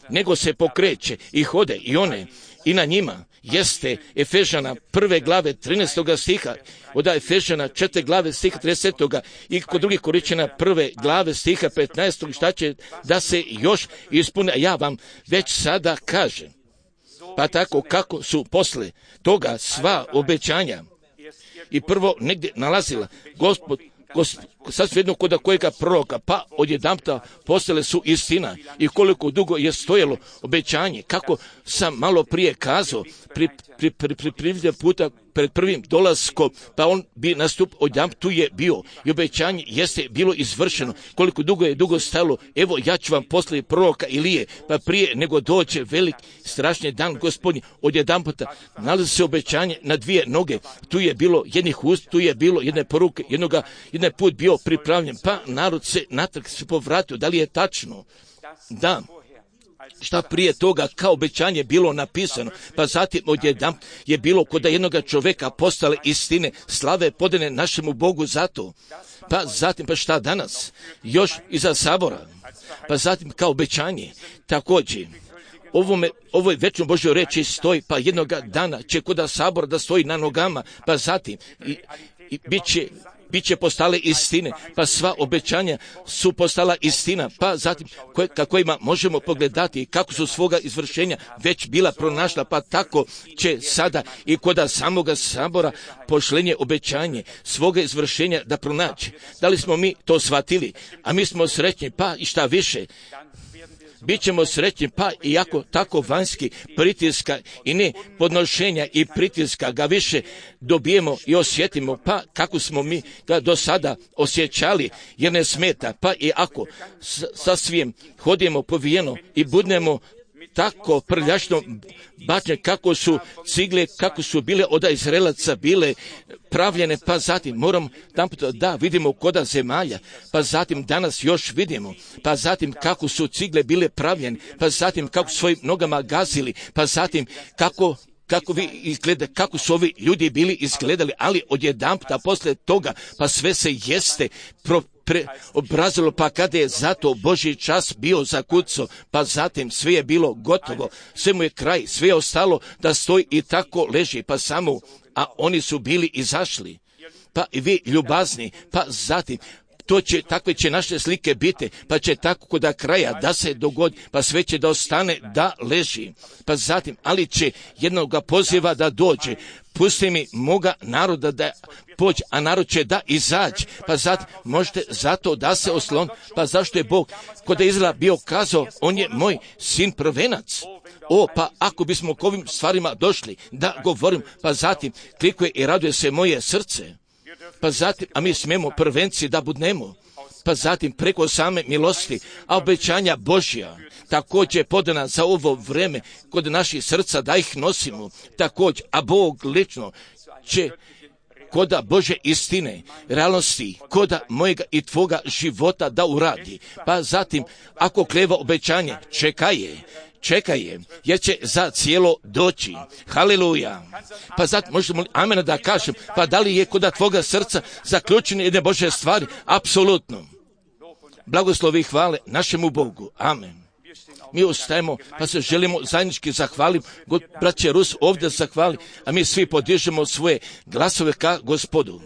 nego se pokreće i hode i one i na njima jeste Efežana 1. glave 13. stiha, od Efežana 4. glave stiha 30. i kod drugih Koričana 1. glave stiha 15. šta će da se još ispune, ja vam već sada kažem. Pa tako kako su posle toga sva obećanja i prvo negdje nalazila Gospod sasvim jedno kod kojega proroka, pa odjedanputa postale su istina i koliko dugo je stojalo obećanje, kako sam malo prije kazao, pri puta pred prvim dolaskom, pa on bi nastup odjedanput tu je bio i obećanje jeste bilo izvršeno, koliko dugo je stajalo, evo ja ću vam poslati proroka Ilije, pa prije nego dođe velik strašni dan Gospodnji, odjedanputa nalazi se obećanje na dvije noge, tu je bilo jednih ust, tu je bilo jedne poruke, jedan put bio pripravljen, pa narod se natrag se povratio, da li je tačno? Da. Šta prije toga kao obećanje bilo napisano, pa zatim odjedanput je bilo kod jednoga čovjeka postale istine, slave podane našemu Bogu zato. Pa zatim, pa šta danas? Još iza sabora. Pa zatim kao obećanje. Također, ovoj večnoj Božjoj reči stoji, pa jednoga dana će kod sabora da stoji na nogama, pa zatim i bit će postale istine, pa sva obećanja su postala istina, pa zatim kojima možemo pogledati kako su svoga izvršenja već bila pronašla, pa tako će sada i kod samoga sabora pošlenje obećanje svoga izvršenja da pronaći. Da li smo mi to shvatili? A mi smo srećni, pa i šta više, Bićemo srećni, pa iako tako vanjski pritiska i ne podnošenja i pritiska ga više dobijemo i osjetimo, pa kako smo mi ga do sada osjećali, jer ne smeta, pa i ako sasvim hodimo povijeno i budemo tako prljačno bačne kako su cigle, kako su bile od Izraelaca bile pravljene, pa zatim moram da vidimo koda zemalja, pa zatim danas još vidimo, pa zatim kako su cigle bile pravljene, pa zatim kako svojim nogama gazili, pa zatim kako vi izgleda, kako su ovi ljudi bili izgledali, ali odjedanputa posle toga, pa sve se jeste preobrazilo, pa kada je zato Božji čas bio zakucao, pa zatim sve je bilo gotovo, sve mu je kraj, sve je ostalo da stoji i tako leži, pa samo, a oni su bili izašli, pa i vi ljubazni, pa zatim takve će naše slike biti, pa će tako kod kraja da se dogodi, pa sve će da ostane da leži. Pa zatim, ali će jednoga poziva da dođe, pusti mi moga naroda da pođe, a narod će da izađe. Pa zatim, možete zato da se oslon, pa zašto je Bog kod Izraela bio kazao, on je moj sin prvenac. Pa ako bismo k ovim stvarima došli da govorim, pa zatim klikuje i raduje se moje srce. Pa zatim, a mi smemo prvenci da budnemo. Pa zatim preko same milosti, a obećanja Božja također podana za ovo vreme kod naših srca da ih nosimo. Također, a Bog lično će koda Bože istine, realnosti, koda mojega i tvoga života da uradi. Pa zatim, ako kleva obećanje, čekaj je, jer će za cijelo doći. Haleluja. Pa zatim možemo amena da kažem, pa da li je koda tvoga srca zaključene jedne Bože stvari? Apsolutno. Blagoslovi i hvale našemu Bogu. Amen. Mi ustajemo, pa se želimo zajednički zahvaliti, braće Rus ovdje zahvali, a mi svi podižemo svoje glasove ka Gospodu.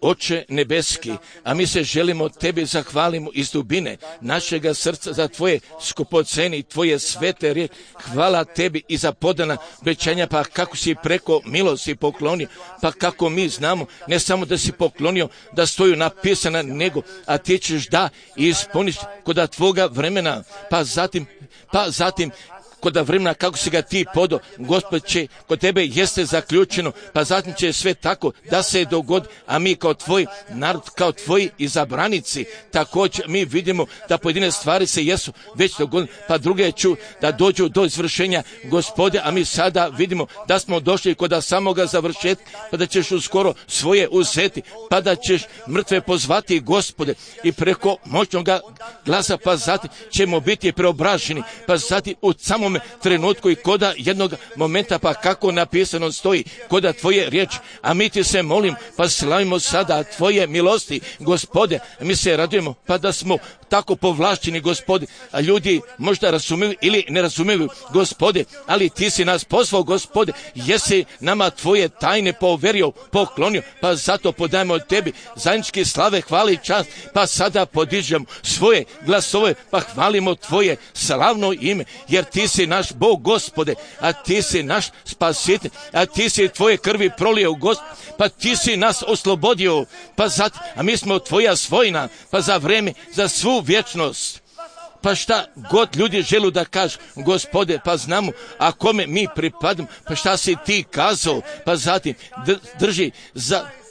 Oče nebeski, a mi se želimo tebi zahvalimo iz dubine našega srca za tvoje skupoceni, tvoje svete riječi. Hvala tebi i za podana obećanja, pa kako si preko milosti poklonio, pa kako mi znamo, ne samo da si poklonio, da stoju napisana, nego, a ti ćeš da ispuniš kod tvoga vremena, pa zatim kod vremena kako si ga ti podo, Gospod će kod tebe jeste zaključeno, pa zatim će sve tako da se dogodi, a mi kao tvoj narod, kao tvoji izabranici, također mi vidimo da pojedine stvari se jesu već dogodile, pa druge ću da dođu do izvršenja, Gospode, a mi sada vidimo da smo došli kod samoga završetka, pa da ćeš uskoro svoje uzeti, pa da ćeš mrtve pozvati, Gospode, i preko moćnoga glasa, pa zatim ćemo biti preobraženi, pa zatim u samom trenutku i koda jednog momenta, pa kako napisano stoji koda tvoje riječi, a mi ti se molim, pa slavimo sada tvoje milosti, Gospode, mi se radujemo, pa da smo tako povlašćeni, Gospode, a ljudi možda razumiju ili ne razumiju, Gospode, ali ti si nas pozvao, Gospode, jesi nama tvoje tajne poverio, poklonio, pa zato podajemo tebi zajednički slave, hvale i čast, pa sada podižemo svoje glasove, pa hvalimo tvoje slavno ime, jer ti si naš Bog, Gospode, a ti si naš spasitelj, a ti si tvoje krvi prolio, Gospode, pa ti si nas oslobodio, pa zatim, a mi smo tvoja svojina, pa za vreme, za svu vječnost. Pa šta god ljudi želu da kažu, Gospode, pa znamo, a kome mi pripadamo, pa šta si ti kazao, pa zatim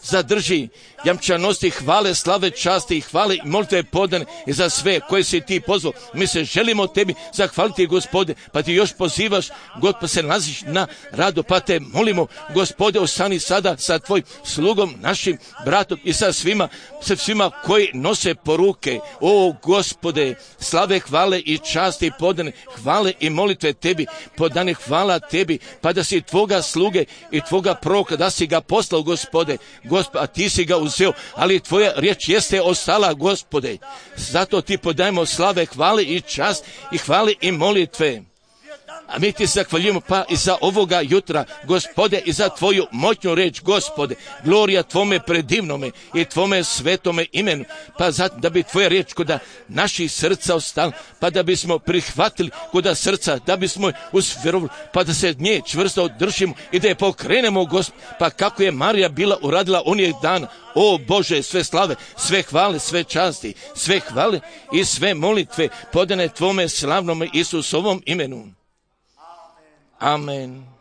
zadrži jamčanosti, hvale, slave, časti i hvale i molitve podane i za sve koje si ti pozvao. Mi se želimo tebi zahvaliti, Gospode, pa ti još pozivaš, God, pa se nalaziš na radu, pa te molimo, Gospode, ostani sada sa tvojim slugom, našim bratom i sa svima koji nose poruke. O, Gospode, slave, hvale i časti podane, hvale i molitve tebi, podane hvala tebi, pa da si tvoga sluge i tvoga proroka, da si ga poslao, Gospode, a ti si ga uzeo, ali tvoja riječ jeste ostala, Gospode. Zato ti podajemo slave, hvale i čast i hvale i molitve. A mi ti zahvaljujemo pa i za ovoga jutra, Gospode, i za tvoju moćnu reč, Gospode. Glorija tvome predivnome i tvome svetome imenu, pa zatim da bi tvoja riječ kod naših srca ostala, pa da bismo prihvatili kod srca, da bismo usvjerovali, pa da se nje čvrsto držimo i da je pokrenemo, Gospode, pa kako je Marija bila uradila onih dana. O Bože, sve slave, sve hvale, sve časti, sve hvale i sve molitve podane tvome slavnome Isusovom imenu. Amen.